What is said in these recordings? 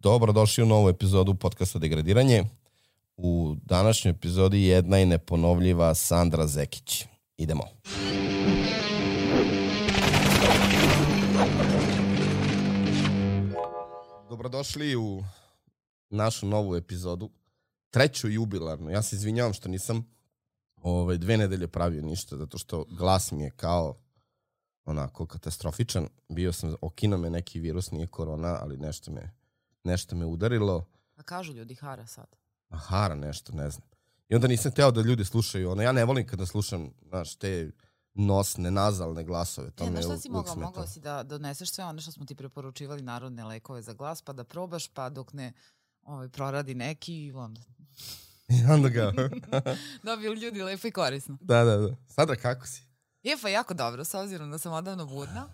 Dobrodošli u novu epizodu podcasta Degradiranje. U današnjoj epizodi jedna i neponovljiva Sandra Zekić. Idemo. Dobrodošli u našu novu epizodu, treću jubilarnu. Ja se izvinjavam što nisam 2 nedelje pravio ništa, zato što glas mi je kao onako katastrofičan. Bio sam, okino me neki virus, nije korona, ali nešto me udarilo. A kažu ljudi hara sad. A hara nešto, ne znam. I onda nisam hteo da ljudi slušaju. Ja ne volim kada slušam, znaš, te nosne, nazalne glasove. Znaš šta si mogao si da doneseš sve ono što smo ti preporučivali, narodne lekove za glas, pa da probaš, pa dok ne proradi neki i onda... I onda ga... Dobiju ljudi lepo i korisno. Da. Sada kako si? Pa jako dobro, s obzirom da sam odavno budna.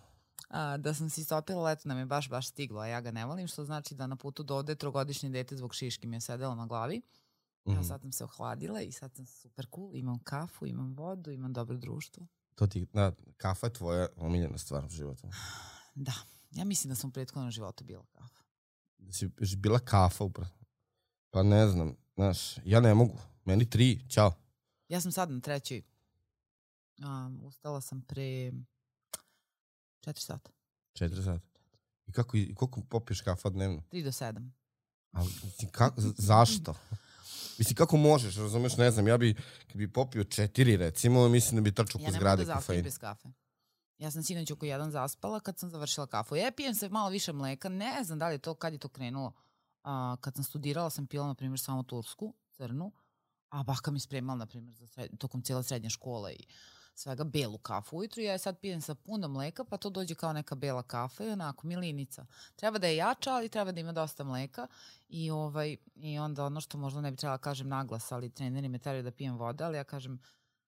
Da sam se istopila, leto nam je baš stiglo, a ja ga ne volim, što znači da na putu do ovde 3-godišnje dete zbog šiški mi je sedelo na glavi. Ja sad sam se ohladila i sad sam super cool, imam kafu, imam vodu, imam dobro društvo. Kafa je tvoja omiljena stvar u životu. Da, ja mislim da sam u prethodnom životu bila kafa. Da si bila kafa upravo? Pa ne znam, znaš, ja ne mogu, meni 3, ćao. Ja sam sad na 3. Ustala sam pre 4 sata. 4 sata. I koliko popiješ kafa dnevno? 3 do 7. Ali, zašto? Mislim, kako možeš, razumeš, ne znam, kad bi popio 4, recimo, mislim da bi trčao po zgrade kafein. Ja ne mogu da zaspim bez kafe. Ja sam sinoć oko 1 zaspala kad sam završila kafu. Ja pijem se malo više mleka, ne znam da li je to, kad je to krenulo. Kad sam studirala sam pila, na primjer, samo tursku, crnu, a baka mi spremala, na primjer, tokom cijela srednja škola i svega belu kafu ujutru. Ja sad pijem sa puno mleka, pa to dođe kao neka bela kafa i onako milinica. Treba da je jača, ali treba da ima dosta mleka i onda ono što možda ne bi trebala kažem naglas, ali treneri me teraju da pijem voda, ali ja kažem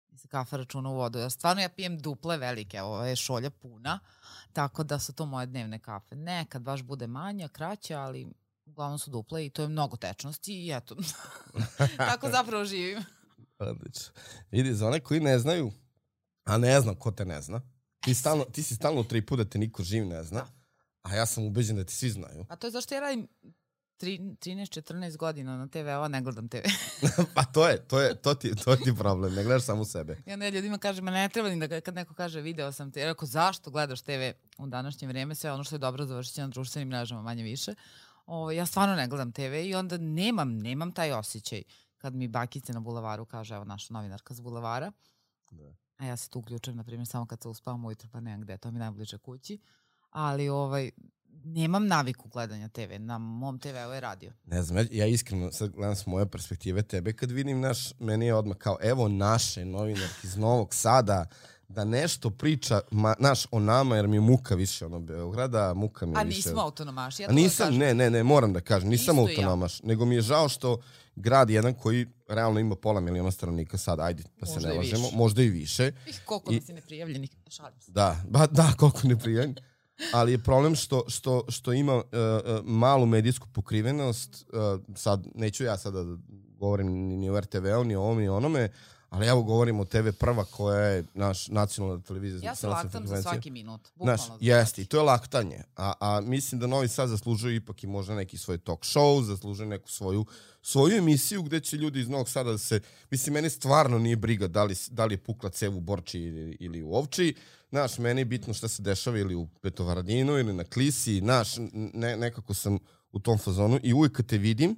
da se kafa računa u vodu. Jer stvarno ja pijem duple velike, ovo je šolja puna, tako da su to moje dnevne kafe. Nekad baš bude manja, kraća, ali uglavnom su duple i to je mnogo tečnosti i eto, tako zapravo živim. Odlično. Vidi, za one koji ne znaju, a ne znam ko te ne zna, ti si stalno 3 puta da te niko živ ne zna, a ja sam ubeđen da ti svi znaju. A to je zašto ja radim 13-14 godina na TV-a, ne gledam TV. Pa to ti je problem, ne gledaš samo sebe. I onda ljudima kažem, ne treba ni da kad neko kaže video sam te, jer ako zašto gledaš TV u današnje vreme, sve ono što je dobro završiti na društvenim mrežama manje više. Ja stvarno ne gledam TV i onda nemam taj osjećaj kad mi bakice na bulevaru kaže, evo naša novinarka z bulevara, a ja se tu uključujem, na primjer, samo kad se uspavam ujutro, pa nemam gde, to mi najbliže kući, ali nemam naviku gledanja TV, na mom TV-u je radio. Ne znam, ja iskreno sad gledam s moje perspektive tebe, kad vidim meni je odmah kao, evo naše novinarke iz Novog Sada, da nešto priča, o nama, jer mi je muka više Beograda, muka mi je više... A nismo autonomaši, ja to nisam, ne, moram da kažem, nisam autonomaš, nego mi je žao što grad jedan koji realno ima 500.000 stanovnika sad, ajde, pa se ne lažemo, možda i više. Koliko nas je neprijavljenih, šalim se. Da, koliko neprijavljenih. Ali je problem što ima malu medijsku pokrivenost, sad, neću ja sada da govorim ni o RTV-u, ni o ovom, ni o onome, ali evo govorim o TV Prva koja je naš nacionalna televizija. Ja se laktam za svaki minut. Jeste, i to je laktanje. A mislim da Novi Sad zaslužuje ipak i možda neki svoj talk show, zaslužuje neku svoju emisiju gde će ljudi iz Novog Sada da se... Mislim, meni stvarno nije briga da li je pukla cev u Borči ili u Ovči. Znaš, meni je bitno šta se dešava ili u Petrovaradinu ili na Klisi. Znaš, nekako sam u tom fazonu i uvijek kad te vidim,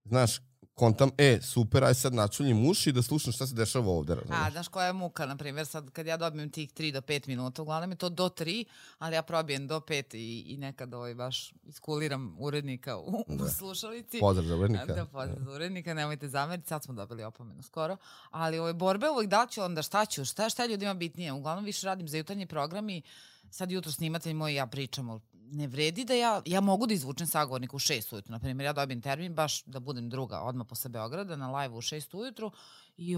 znaš, kontam, super, aj sad načuljim uši da slušam šta se dešava ovde. Razumiješ? Znaš koja je muka, na primjer, sad kad ja dobijem tih 3 do 5 minuta, uglavnom je to do 3, ali ja probijem do 5 i nekad baš iskuliram urednika u slušalici. Pozdrav za urednika. Da, pozdrav za urednika, nemojte zameriti, sad smo dobili opomenu skoro, ali borbe uvijek da ću, onda šta ću, šta je ljudima bitnije, uglavnom više radim za jutarnji program i sad jutro snimatelj moj i ja pričamo. Ne vredi da ja mogu da izvučem sagovornika u 6 ujutru. Naprimjer, ja dobijem termin baš da budem druga odmah posle Beograda na live u 6 ujutru i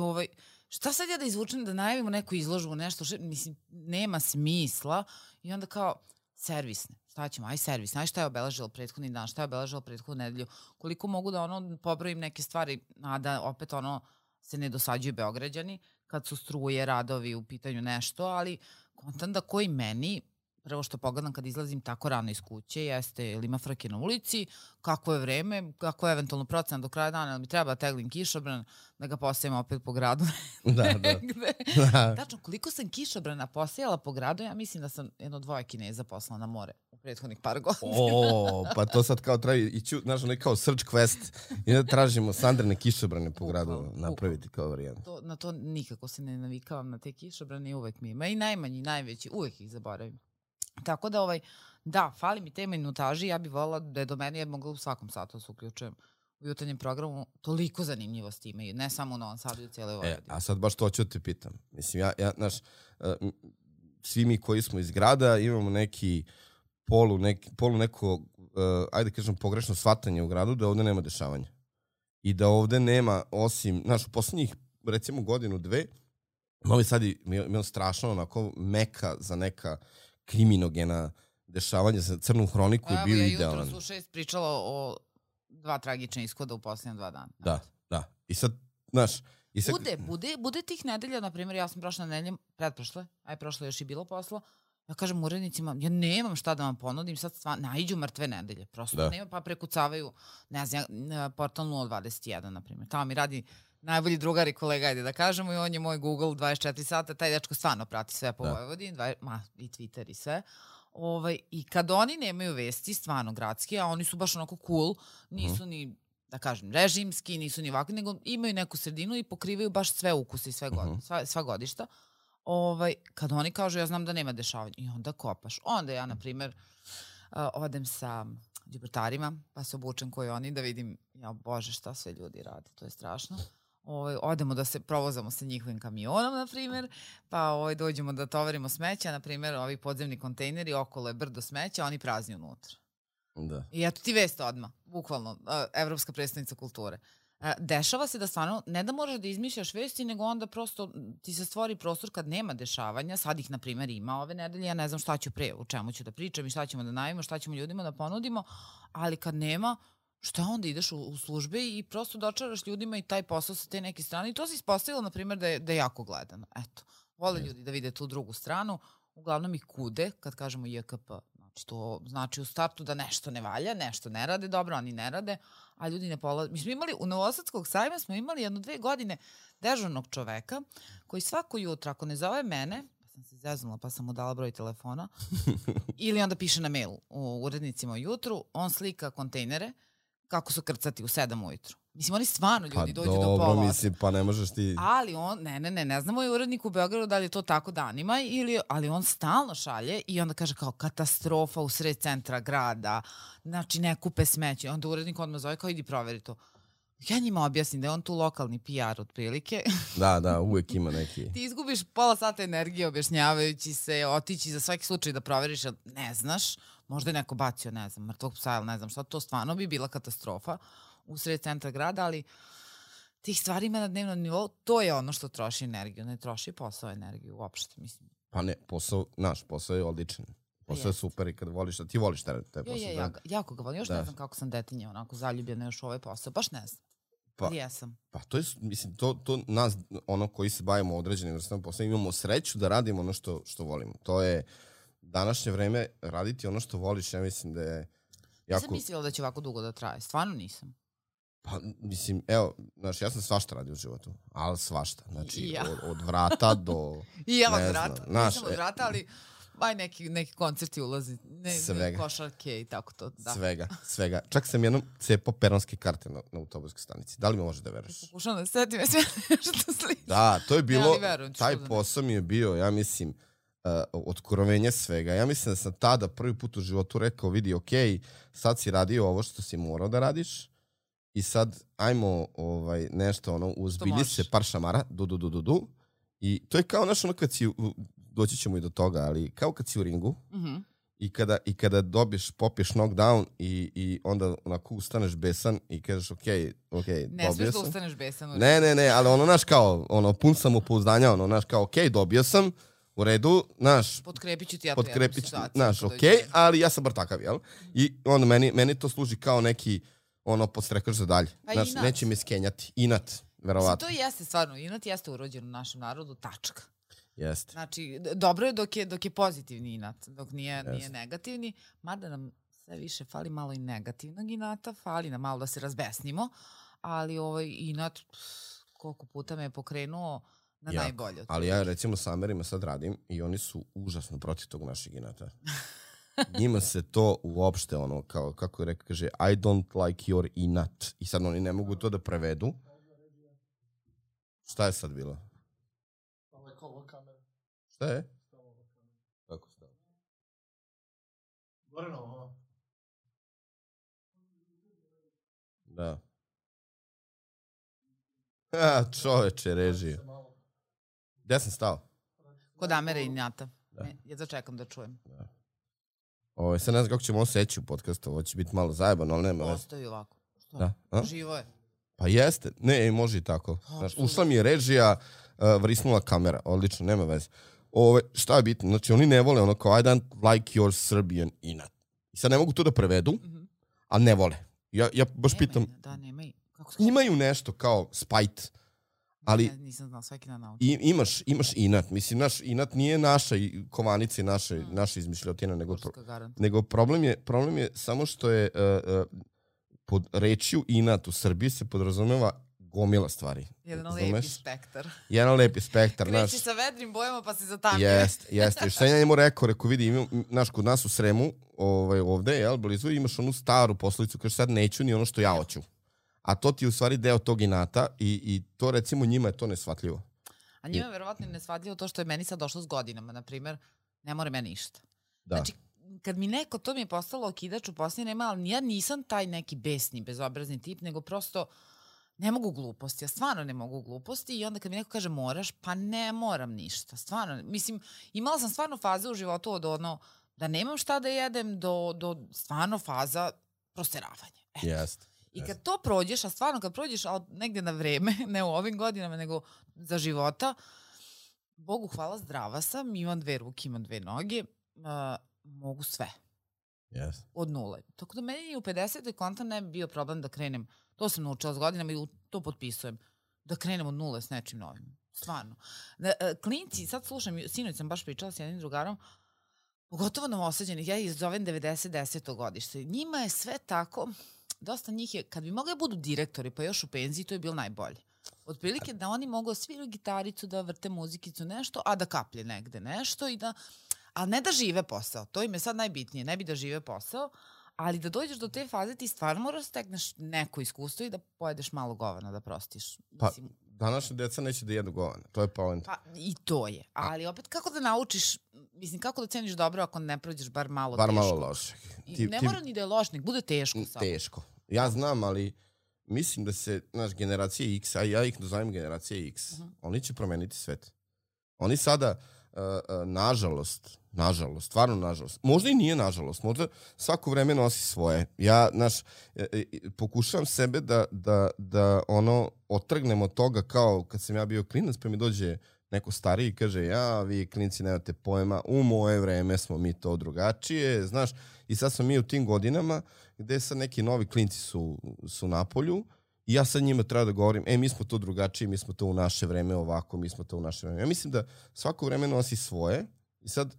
šta sad ja da izvučem da najavimo neku izložbu, nešto, mislim, nema smisla i onda kao servisne. Šta ćemo? Aj servis. Znaš šta je obeležilo prethodni dan, šta je obeležilo prethodnu nedelju, koliko mogu da pobrojim neke stvari, a da opet se ne dosađuju Beograđani kad su struje, radovi u pitanju nešto, ali kontam da koji meni prvo što pogledam kad izlazim tako rano iz kuće jeste ili ima frke na ulici, kako je vreme, kako je eventualno procena do kraja dana, ali mi treba da teglim kišobran, da ga posajem opet po gradu. Da. Tačno, koliko sam kišobrana posejala po gradu, ja mislim da sam 1-2 Kineza poslala na more u prethodnih par godina. Pa to sad kao treba ići, znaš, onaj kao search quest i da tražimo Sandrine kišobrane po gradu napraviti kao varijant. Na to nikako se ne navikavam, na te kišobrane i uvek mi ima. I najmanji, najveći, uvek ih zaboravim. Tako da, da, fali mi te minutaži, ja bih volila da je do mene, ja bih mogla u svakom satu se uključujem u jutarnjem programu, toliko zanimljivosti imaju, ne samo u Novom Sadu i u cijeloj Vojvodini. A sad baš to ću te pitam. Mislim, znaš, svi mi koji smo iz grada imamo neki polu neko, ajde kažem, pogrešno shvatanje u gradu da ovde nema dešavanja. I da ovde nema, osim, znaš, u poslednjih, recimo, godinu, dve, Novi Sad je imao strašno onako meka za neka kriminogena dešavanja, za Crnu hroniku je bio idealan. Ja jutro su 6 pričala o 2 tragične ishoda u posljednje 2 dana. Da. I sad, znaš... Bude tih nedelja, na primjer, ja sam prošla nedeljem, pretprošle, prošle još i bilo posla, ja kažem urednicima, ja nemam šta da vam ponudim, sad naiđu mrtve nedelje, prosto nema, pa prekucavaju, ne znam, portal 021, na primjer, tamo mi radi najbolji drugar i kolega, ajde da kažemo, i on je moj Google 24 sata, taj dečko stvarno prati sve po Vojvodini, i Twitter i sve. I kad oni nemaju vesti, stvarno gradski, a oni su baš onako cool, nisu ni, da kažem, režimski, nisu ni ovakvi, nego imaju neku sredinu i pokrivaju baš sve ukuse i sva godišta. Kad oni kažu, ja znam da nema dešavanja, i onda kopaš. Onda ja, na primjer, odem sa đubratarima, pa se obučem koji oni, da vidim, ja bože, šta sve ljudi rade, to je strašno. Odemo da se provozamo sa njihovim kamionom, na primjer, pa dođemo da tovarimo smeća, na primjer, ovi podzemni kontejneri, okolo je brdo smeća, oni prazni unutra. Da. I eto ti vest odmah, bukvalno, Evropska predstavnica kulture. Dešava se da stvarno, ne da moraš da izmišljaš vesti, nego onda prosto ti se stvori prostor kad nema dešavanja, sad ih, na primjer, ima ove nedelje, ja ne znam šta ću pre, o čemu ću da pričam i šta ćemo da najavimo, šta ćemo ljudima da ponudimo, ali kad nema, šta onda ideš u službe i prosto dočaraš ljudima i taj posao sa te neke strane i to se ispostavilo, na primjer, da je jako gledano. Eto, vole ljudi da vide tu drugu stranu, uglavnom ih kude, kad kažemo JKP, znači to znači u startu da nešto ne valja, nešto ne rade dobro, oni ne rade, a ljudi ne polaze. Mi smo imali, u Novosadskog sajma smo imali 1-2 godine dežurnog čoveka koji svako jutro, ako ne zove mene, pa sam se zeznula pa sam mu dala broj telefona, ili onda piše na mail u urednicima ujutru, on slika kontejnere, kako su krcati u 7 ujutru. Mislim, oni stvarno ljudi dođu do pola. Dobro, mislim, pa ne možeš ti... Ali on, ne znamo je urednik u Beogradu da li je to tako danima, ali on stalno šalje i onda kaže kao katastrofa u sred centra grada, znači ne kupe smeće. Onda urednik odmah zove kao idi proveri to. Ja njima objasnim da je on tu lokalni PR otprilike. Da, uvek ima neki... Ti izgubiš pola sata energije objašnjavajući se, otići za svaki slučaj da proveriš, ne znaš, možda je neko bacio, ne znam, mrtvog psa ili ne znam šta, to stvarno bi bila katastrofa u sred centra grada, ali tih stvari ima na dnevnom nivou, to je ono što troši energiju, ne troši posao energiju uopšte, mislim. Pa ne, naš posao je odličan. Posao je super i kad voliš, ti voliš taj posao. Jako ga volim, još ne znam kako sam detinja, onako zaljubljena još u ovaj posao, baš ne znam. Ali jesam. Pa to je, mislim, to nas, ono koji se bavimo određenim vrstama posla, imamo sreću da radimo ono što volimo. To je današnje vreme, raditi ono što voliš, ja mislim da je jako... Nisam mislila da će ovako dugo da traje, stvarno nisam. Pa, mislim, evo, znaš, ja sam svašta radio u životu, ali svašta. Znači, od vrata do... I ja od vrata, nisam od vrata, ali... neki koncerti ulazi, košarke i tako to. Da. Svega. Čak sam jednom cepao peronske karte na autobuskoj stanici. Da li mi može da veruješ? Pokušam da setim sve što sliči. Da, to je bilo, taj posao mi je bio, ja mislim, otkrovenje svega. Ja mislim da sam tada prvi put u životu rekao, vidi, okej, sad si radio ovo što si morao da radiš i sad ajmo nešto, uzbilji se par šamara, i to je kao ono kad si... doći ćemo i do toga, ali kao kad si u ringu i kada popiješ knockdown i onda onako ustaneš besan i kažeš okej, ne smiješ da ustaneš besan. Ne, ali znaš kao, pun sam upouzdanja, znaš kao okej, dobio sam, u redu, znaš... Potkrepit ću ti ja tu jednu situaciju. Znaš, okej, ali ja sam bar takav, jel? I onda meni to služi kao neki, podstrekaš za dalje. Znaš, neće mi skenjati. Inat, verovatno. To jeste stvarno, inat jeste urođen u našem narodu, tačka. Jeste. Znači, dobro je dok je pozitivni inat, dok nije negativni, mada nam sve više fali malo i negativnog inata, fali nam malo da se razbesnimo, ali inat koliko puta me je pokrenuo na najbolje. Ali ja recimo sa Amerima sad radim i oni su užasno protiv tog našeg inata. Njima se to uopšte ono, kao, kako je rekao, kaže I don't like your inat. I sad oni ne mogu to da prevedu. Šta je sad bilo? Šta je? Kako stalo? Gore na ovo. Da. Čoveče, režije. Gde sam stao? Kod Amere i Njata. Ja začekam da čujem. Sad ne znam kako ćemo seći u podcastu, ovo će biti malo zajebano, ali nema veze. Ostavi ovako. Da. Živo je. Pa jeste, ne, može i tako. Znaš, ušla mi je režija, vrisnula kamera, odlično, nema veze. Šta je bitno? Znači, oni ne vole ono kao I don't like your Serbian inat. I sad ne mogu to da prevedu, a ne vole. Ja baš pitam... Da, nemaju. Imaju nešto kao spite, ali... Nisam znao, svaki dan naučim. Imaš inat. Mislim, naš inat nije naša kovanica i naša izmišljotina, nego problem je samo što je pod rečju inat u Srbiji se podrazumeva gomila stvari. Jedan lepi spektar. Jedan lepi spektar. Kreći sa vedrim bojama pa se zatamlje. Jeste. Šta ja njemu rekao, vidi, kod nas u Sremu, ovde, blizu, imaš onu staru poslovicu, kaže sad neću ni ono što ja hoću. A to ti je u stvari deo tog inata i to recimo njima je to nesvatljivo. A njima je verovatno nesvatljivo to što je meni sad došlo s godinama, na primjer, ne more meni ništa. Da. Znači, kad mi neko, to mi je postalo okidač u posljednje vreme, ali ja nisam taj neki besni, bezobrazni tip, nego prosto ne mogu gluposti. Ja stvarno ne mogu gluposti i onda kad mi neko kaže moraš, pa ne moram ništa. Stvarno, mislim, imala sam stvarno faze u životu od ono da nemam šta da jedem do stvarno faza prosteravanja. Jeste. I kad to prođeš, a stvarno kad prođeš negde na vreme, ne u ovim godinama, nego za života, Bogu hvala, zdrava sam, imam 2 ruke, imam 2 noge, mogu sve. Yes. Od nule. Tako da meni u 50. konta ne bi bio problem da krenem, to sam naučila s godinama i to potpisujem, da krenem od nule s nečim novim. Stvarno. Klinci, sad slušam, sinoć sam baš pričala s jednim drugarom, pogotovo novosađenih, ja ih zovem 90-10. godište. Njima je sve tako, dosta njih je, kad bi mogli budu direktori, pa još u penziji, to je bilo najbolje. Otprilike da oni mogu svirati gitaricu, da vrte muzikicu, nešto, a da kaplje negde nešto i da, ali ne da žive posao. To im je sad najbitnije, ne bi da žive posao, ali da dođeš do te faze ti stvarno moraš stekneš neko iskustvo i da pojedeš malo govana, da prostiš. Pa, današnja deca neće da jedu govana, to je poenta. Pa, i to je, ali opet kako da naučiš, mislim, kako da ceniš dobro ako ne prođeš bar malo teško. Bar malo loše. Ne mora ni da je loš, nek bude teško samo. Teško. Ja znam, ali mislim da se, znaš, generacije X, a ja ih nazovem generacije X, oni će promeniti svet. Oni sada, nažalost, stvarno nažalost, možda i nije nažalost, možda svako vreme nosi svoje. Ja, znaš, pokušavam sebe da ono, otrgnem od toga kao kad sam ja bio klinac, pa mi dođe neko stariji i kaže, ja, vi klinci nemate pojma, u moje vreme smo mi to drugačije, znaš, i sad smo mi u tim godinama gde sad neki novi klinci su na polju i ja sad njima treba da govorim, mi smo to drugačije, mi smo to u naše vreme ovako, mi smo to u naše vreme. Ja mislim da svako vreme nosi svoje i sad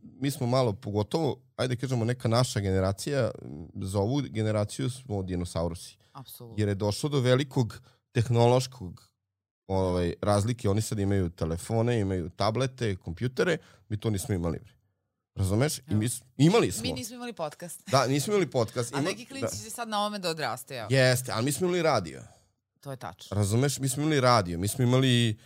mi smo malo, pogotovo, ajde kažemo, neka naša generacija, za ovu generaciju smo dinosaurusi. Apsolutno. Jer je došlo do velikog tehnološkog razlike. Oni sad imaju telefone, imaju tablete, kompjutere, mi to nismo imali. Razumeš? I imali smo. Mi nismo imali podcast. Da, nismo imali podcast. A neki klinci će sad na ovome da odraste. Jeste, ali mi smo imali radio. To je tačno. Razumeš? Mi smo imali radio, mi smo imali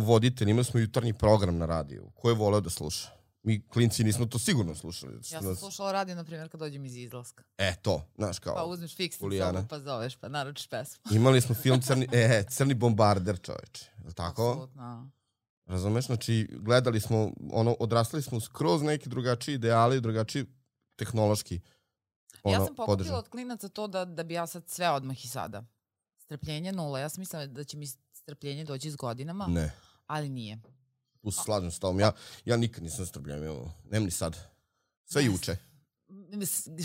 voditelj, imali smo jutarnji program na radiju. Ko je voleo da sluša? Mi klinci nismo to sigurno slušali. Ja sam slušala radio, na primjer, kad dođem iz izlaska. To, znaš kao. Pa uzmeš fiksni sobu, pa zoveš, pa naručiš pesmu. Imali smo film Crni bombarder, čoveče. Tako? Apsolutno. Razumeš? Znači, gledali smo, odrastali smo skroz neki drugačiji ideali, drugačiji tehnološki ja sam pokupila od klinaca to da bi ja sad sve odmah i sada. Strpljenje 0. Ja sam mislila da će mi strpljenje doći s godinama. Ne. Ali nije. Tu se slažem s tom. Ja nikad nisam strpljenje. Nem ni sad. Sve juče.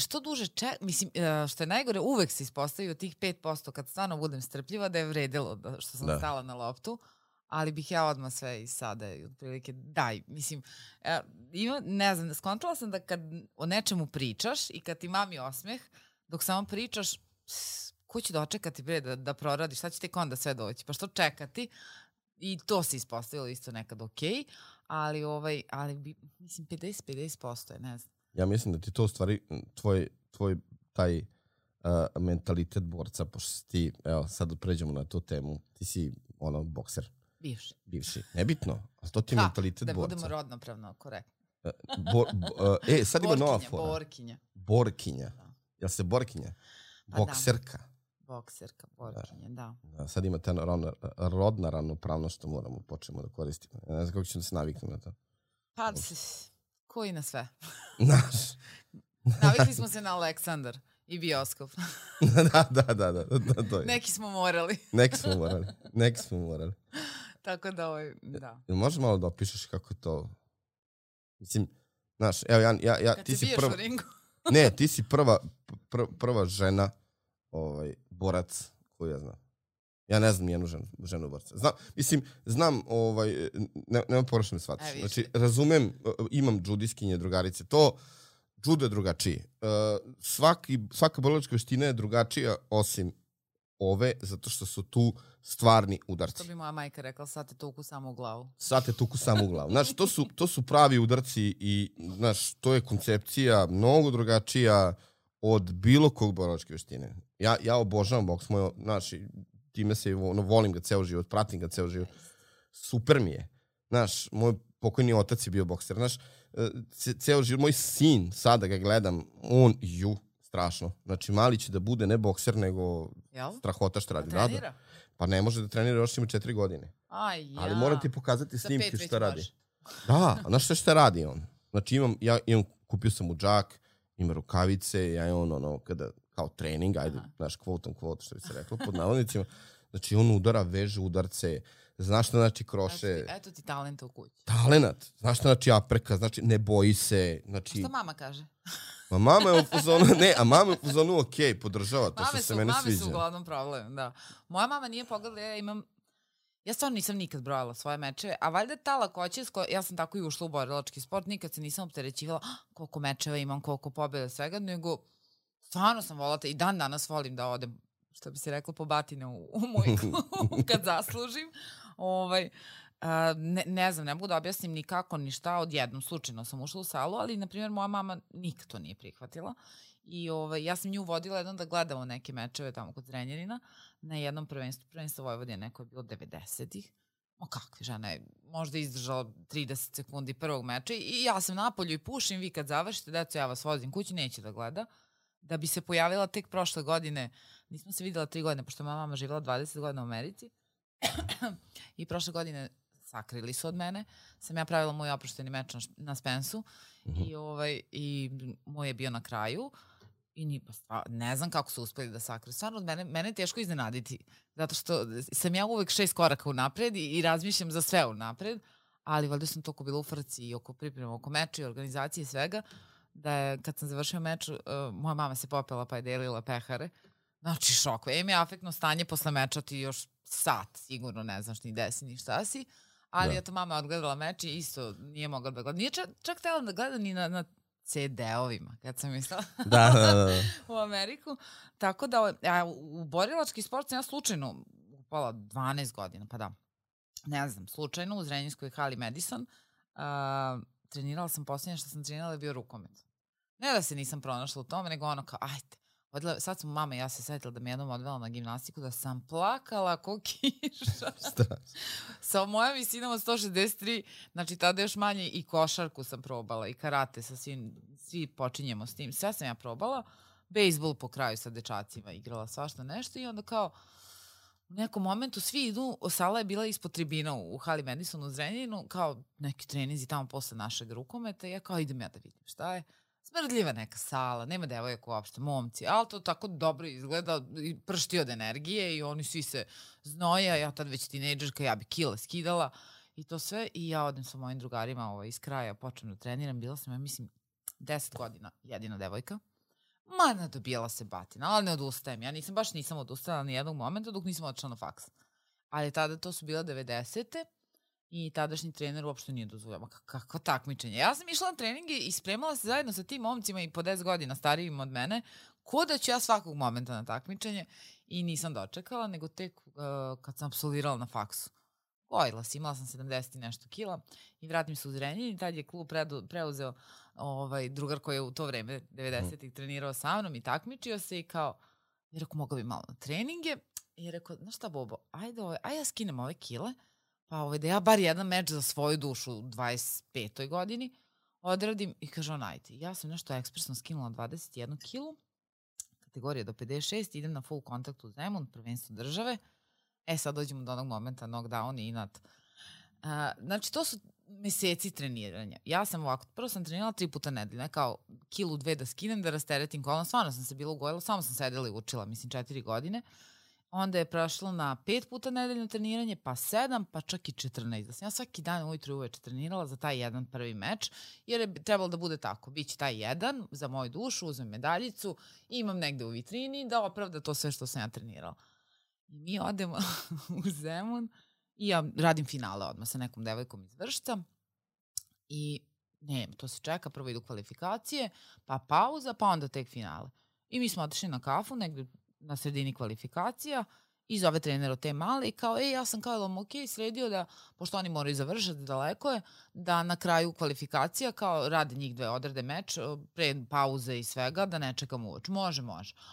Što duže mislim, što je najgore, uvek se ispostavio tih 5% kad stvarno budem strpljiva da je vredilo što sam stala na loptu. ali bih ja odmah sve i sada i otprilike daj, mislim, ne znam, skontala sam da kad o nečemu pričaš i kad ti mami osmeh, dok samo pričaš, ko će dočekati bre da proradiš, šta će tek onda sve doći, pa što čekati? I to se ispostavilo isto nekad okej, ali mislim 50% je, ne znam. Ja mislim da ti to u stvari tvoj taj mentalitet borca, pošto ti, evo sad pređemo na tu temu, ti si bokser. Bivši. Nebitno, ali to ti je mentalitet borca. Da budemo rodnopravno korektni. Sad ima nova fora. Borkinja. Jel se borkinja? Bokserka. Bokserka, borkinja, da. Sad ima ta rodna ravnopravnost što moramo počnemo da koristimo. Ne znam kako ćemo da se naviknu na to. Pa, koji na sve? Naš. Navikli smo se na Aleksandar i bioskop. Da, to je. Neki smo morali. Neki smo morali. Tako da, da. Možeš malo da opišeš kako to... Mislim, znaš, evo ja kad ti si prva... u ringu. Ne, ti si prva žena borac koju ja znam. Ja ne znam nijednu ženu borca. Znam, nema pogrešno me shvatiš. Znači, razumem, imam džudiskinje, drugarice, to džudo je drugačiji. Svaka borilačka veština je drugačija osim ove, zato što su tu stvarni udarci. To bi moja majka rekla, sad te tuku samo u glavu. Znači, to su pravi udarci i, znaš, to je koncepcija mnogo drugačija od bilo kog borilačke veštine. Ja obožavam boks, znači, time se volim ga ceo život, pratim ga ceo život. Super mi je. Znaš, moj pokojni otac je bio bokser. Znaš, ceo život, moj sin, sada ga gledam, strašno. Znači, mali će da bude ne bokser, nego strahota što radi. Da trenira? Pa ne može da trenira, još ima 4 godine. Ali moram ti pokazati snimke šta radi. Da, znaš šta radi on? Znači, kupio sam mu džak, ima rukavice, ja on kada kao trening, ajde, znaš, kvot, što bi se reklo, pod navodnicima. Znači, on udara, veže udarce, znaš šta znači kroše. Eto ti talenta u kući. Talenat. Znaš šta znači apreka, znači ne boji se. Znači... Šta mama kaže? Mama je u fazonu, okej, podržava to što se meni sviđa. Mame su uglavnom problem, da. Moja mama nije pogledala, ja stvarno nisam nikad brojala svoje mečeve, a valjda ta lakoća, ja sam tako i ušla u borilački sport, nikad se nisam opterećivala koliko mečeva imam, koliko pobjeda, svega, nego stvarno sam volala i dan danas volim da odem, što bi se reklo, po batine u moj klub kad zaslužim. Ne znam, ne mogu da objasnim nikako ni šta, odjednom slučajno sam ušla u salu, ali, na primjer, moja mama nikad to nije prihvatila. I ja sam nju vodila jednom da gledamo neke mečeve tamo kod Zrenjanina na jednom prvenstvo Vojvodine, neko je bilo 90-ih. Kakve žena je možda izdržala 30 sekundi prvog meča i ja sam napolju i pušim, vi kad završite, deco, ja vas vozim kući, neće da gleda. Da bi se pojavila tek prošle godine, nismo se videla 3 godine, pošto moja mama živjela 20 godina u Americi i prošle godine sakrili su od mene, sam ja pravila moj oprošteni meč na Spensu i moj je bio na kraju i ne znam kako su uspeli da sakriju. Stvarno, mene je teško iznenaditi, zato što sam ja uvek 6 koraka unapred i razmišljam za sve unapred, ali valjda sam toliko bila u frci i oko priprema, oko meča i organizacije i svega, da je, kad sam završio meč, moja mama se popela pa je delila pehare. Znači, šok. Im je afektno stanje posle meča, ti još sat, sigurno ne znaš ni gde si, ni šta si. Ali eto, mama je odgledala meč i isto nije mogla da gleda. Nije čak htjela da gleda ni na CD-ovima, kad sam mislila u Ameriku. Tako da, u borilački sport sam ja slučajno upala 12 godina, pa da. Ne znam, slučajno u Zrenjinskoj hali Madison trenirala sam, posljednje što sam trenirala je bio rukomet. Ne da se nisam pronašla u tome, nego ono kao, ajde, sad sam mama i ja se setila da me jednom odvela na gimnastiku, da sam plakala ko kiša. Sa mojom visinom od 163, znači tada još manje i košarku sam probala i karate, svi počinjemo s tim. Sve sam ja probala, bejsbol po kraju sa dečacima, igrala svašta nešto i onda kao u nekom momentu svi idu, sala je bila ispod tribina u hali Madison u Zrenjaninu, kao neki treninzi tamo posle našeg rukometa i ja kao idem ja da vidim šta je. Smrdljiva neka sala, nema devojaka uopšte, momci, ali to tako dobro izgleda i pršti od energije i oni svi se znoja, ja tad već tinejdžerka, ja bi kile skidala i to sve i ja odem sa mojim drugarima iz kraja, počnem da treniram, bila sam, ja mislim, 10 godina jedina devojka. Nadobijala se batina, ali ne odustajem, ja nisam odustala ni jednog momenta dok nisam odšla na faks. Ali tada to su bila 90. I tadašnji trener uopšte nije dozvoljava. Kakvo takmičenje. Ja sam išla na treninge i spremala se zajedno sa tim momcima i po 10 godina starijim od mene, ko da ću ja svakog momenta na takmičenje i nisam dočekala, nego tek kad sam apsolvirala na faksu. Gojila si, imala sam 70 i nešto kila i vratim se u Zrenjanin i tad je klub preuzeo drugar koji je u to vreme 90-ih trenirao sa mnom i takmičio se i kao, je rekao, mogao bi malo na treninge i je rekao, znaš šta Bobo, ajde ja skinem ove kile, pa da ja bar jedan meč za svoju dušu u 25. godini odradim i kaže on, ajde, ja sam nešto ekspresno skinula 21 kilu, kategorija do 56, idem na full kontakt u Zemun, prvenstvo države. Sad dođemo do onog momenta, knockdown i inat. Znači, to su meseci treniranja. Ja sam ovako, prvo sam trenirala 3 puta nedeljno, kao kilu 2 da skinem, da rasteretim kolon, stvarno sam se bila ugojila, samo sam sedela i učila, 4 godine. Onda je prošlo na 5 puta nedeljno treniranje, pa 7, pa čak i 14. Da sam ja svaki dan ujutru i uveče trenirala za taj jedan prvi meč, jer je trebalo da bude tako. Biće taj jedan za moju dušu, uzmem medaljicu i imam negde u vitrini da opravda to sve što sam ja trenirala. I mi odemo u Zemun i ja radim finale odmah sa nekom devojkom iz Vršca i to se čeka, prvo idu kvalifikacije, pa pauza, pa onda tek finale. I mi smo otišli na kafu negde na sredini kvalifikacija i zove trener od te male i kao, ja sam kao sredio da, pošto oni moraju završati, daleko je, da na kraju kvalifikacija kao rade njih dve, odrade meč, pre pauze i svega, da ne čekam uoč. Može.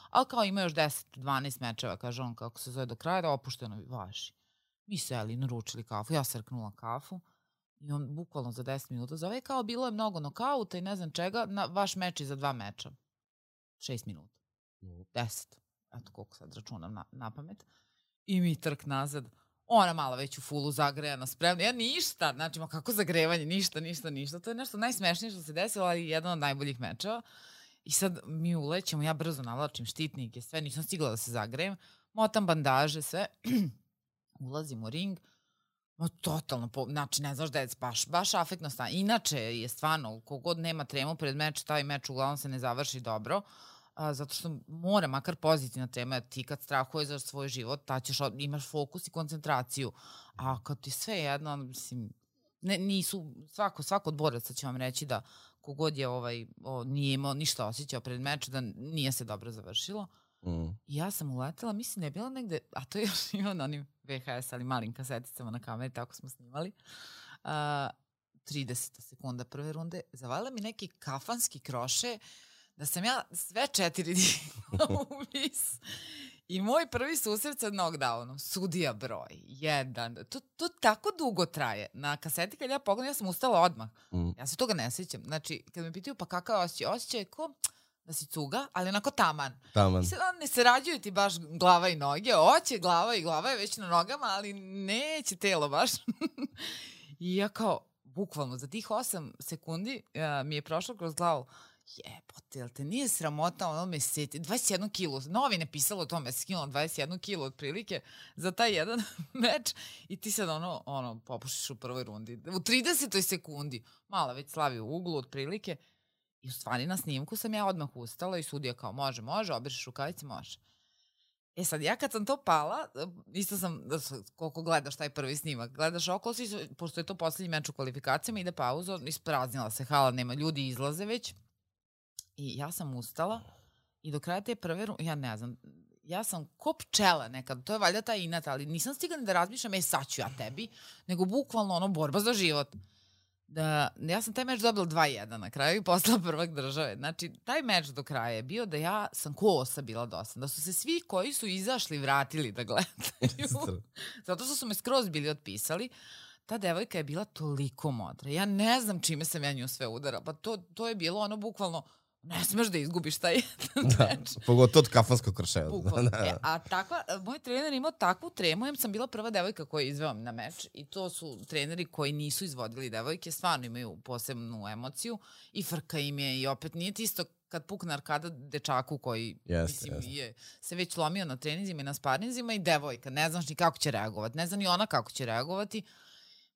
Ali kao ima još 10-12 mečeva, kaže on, kako se zove do kraja, da opušteno važi. Mi seli, naručili kafu, ja srknula kafu i on bukvalno za 10 minuta zove kao, bilo je mnogo nokauta i ne znam čega, vaš meč je za 2 meča. 6 minuta. 10. Eto koliko sad računam na pamet. I mi trk nazad. Ona malo već u fulu zagrejana, spremna. Ja ništa, znači kako zagrevanje, ništa. To je nešto najsmešnije što se desilo, ali jedan od najboljih mečeva. I sad mi ulećemo, ja brzo navlačim štitnike, sve, nisam stigla da se zagrejem. Motam bandaže, sve. Ulazim u ring. Totalno, znači ne znaš da je baš afektno stanje. Inače je stvarno, kogod nema tremu pred meč, taj meč uglavnom se ne završi dobro. Zato što mora makar pozitivna tema, ti kad strahuješ za svoj život, imaš fokus i koncentraciju, a kad ti sve jedno, mislim, nisu, svako od boraca će vam reći da kogod je nije imao ništa osjećao pred meču, da nije se dobro završilo. I ja sam uletela, mislim da je bila negde, a to je još imao na onim VHS, ali malim kaseticama na kameri, tako smo snimali, 30 sekunda prve runde, zavalila mi neki kafanski kroše, da sam ja sve 4 digla u vis. I moj prvi susret sa knockdownom, sudija broj 1. To tako dugo traje. Na kaseti kad ja pogledam, ja sam ustala odmah. Ja se toga ne sjećam. Znači, kad me pitaju pa kakav osjećaj? Osjećaj je ko da si cuga, ali onako taman. I sad ne sarađuju ti baš glava i noge. Oće glava i glava je već na nogama, ali neće telo baš. I ja kao, bukvalno, za tih 8 sekundi mi je prošlo kroz glavu, jebote, jel te nije sramota ono meseci, 21 kilo, novine pisalo o tome, skinula 21 kilo otprilike za taj jedan meč i ti sad popušiš u prvoj rundi. U 30. sekundi, mala već slavi u uglu otprilike i u stvari na snimku sam ja odmah ustala i sudija kao može, obrišeš rukavice, može. Sad, ja kad sam to pala, isto sam, koliko gledaš taj prvi snimak, gledaš okolo, pošto je to poslednji meč u kvalifikacijama, ide pauza, ispraznila se hala, nema, ljudi izlaze već. I ja sam ustala i do kraja te prve runde, ja ne znam, ja sam ko pčela nekad, to je valjda taj inat, ali nisam stigla da razmišljam, sad ću ja tebi, nego bukvalno borba za život. Ja sam taj meč dobila 2-1 na kraju i postala prvak države. Znači, taj meč do kraja je bio da ja sam ko osa bila dosadna. Da su se svi koji su izašli vratili da gledaju. Zato što su me skroz bili otpisali. Ta devojka je bila toliko modra. Ja ne znam čime sam ja nju sve udara. Pa to je bilo bukvalno, ne smeš da izgubiš taj meč. Pogotovo od kafanskog krševa. A moj trener imao takvu tremu, ja sam bila prva devojka koja je izveo na meč i to su treneri koji nisu izvodili devojke, stvarno imaju posebnu emociju i frka im je i opet nije ti isto kad pukne arkada dečaku koji je se već lomio na treninzima i na sparinzima i devojka, ne znaš ni kako će reagovati, ne zna ni ona kako će reagovati.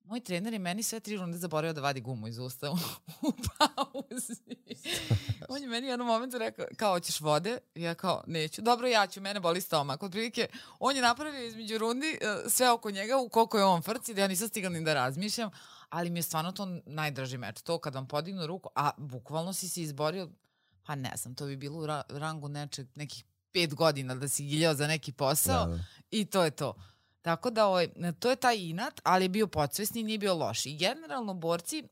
moj trener je meni sve 3 runde zaboravio da vadi gumu iz usta u pauzi. On je meni u jednom momentu rekao, kao, hoćeš vode? Ja kao, neću. Dobro, ja ću, mene boli stomak. Od prilike, on je napravio između rundi sve oko njega, u koliko je on frci, da ja nisam stigla ni da razmišljam, ali mi je stvarno to najdraži meč. To kad vam podignu ruku, a bukvalno si se izborio, pa ne znam, to bi bilo u rangu nekih 5 godina da si giljao za neki posao i to je to. Tako da to je taj inat, ali je bio podsvesni, nije bio loš. I generalno borci,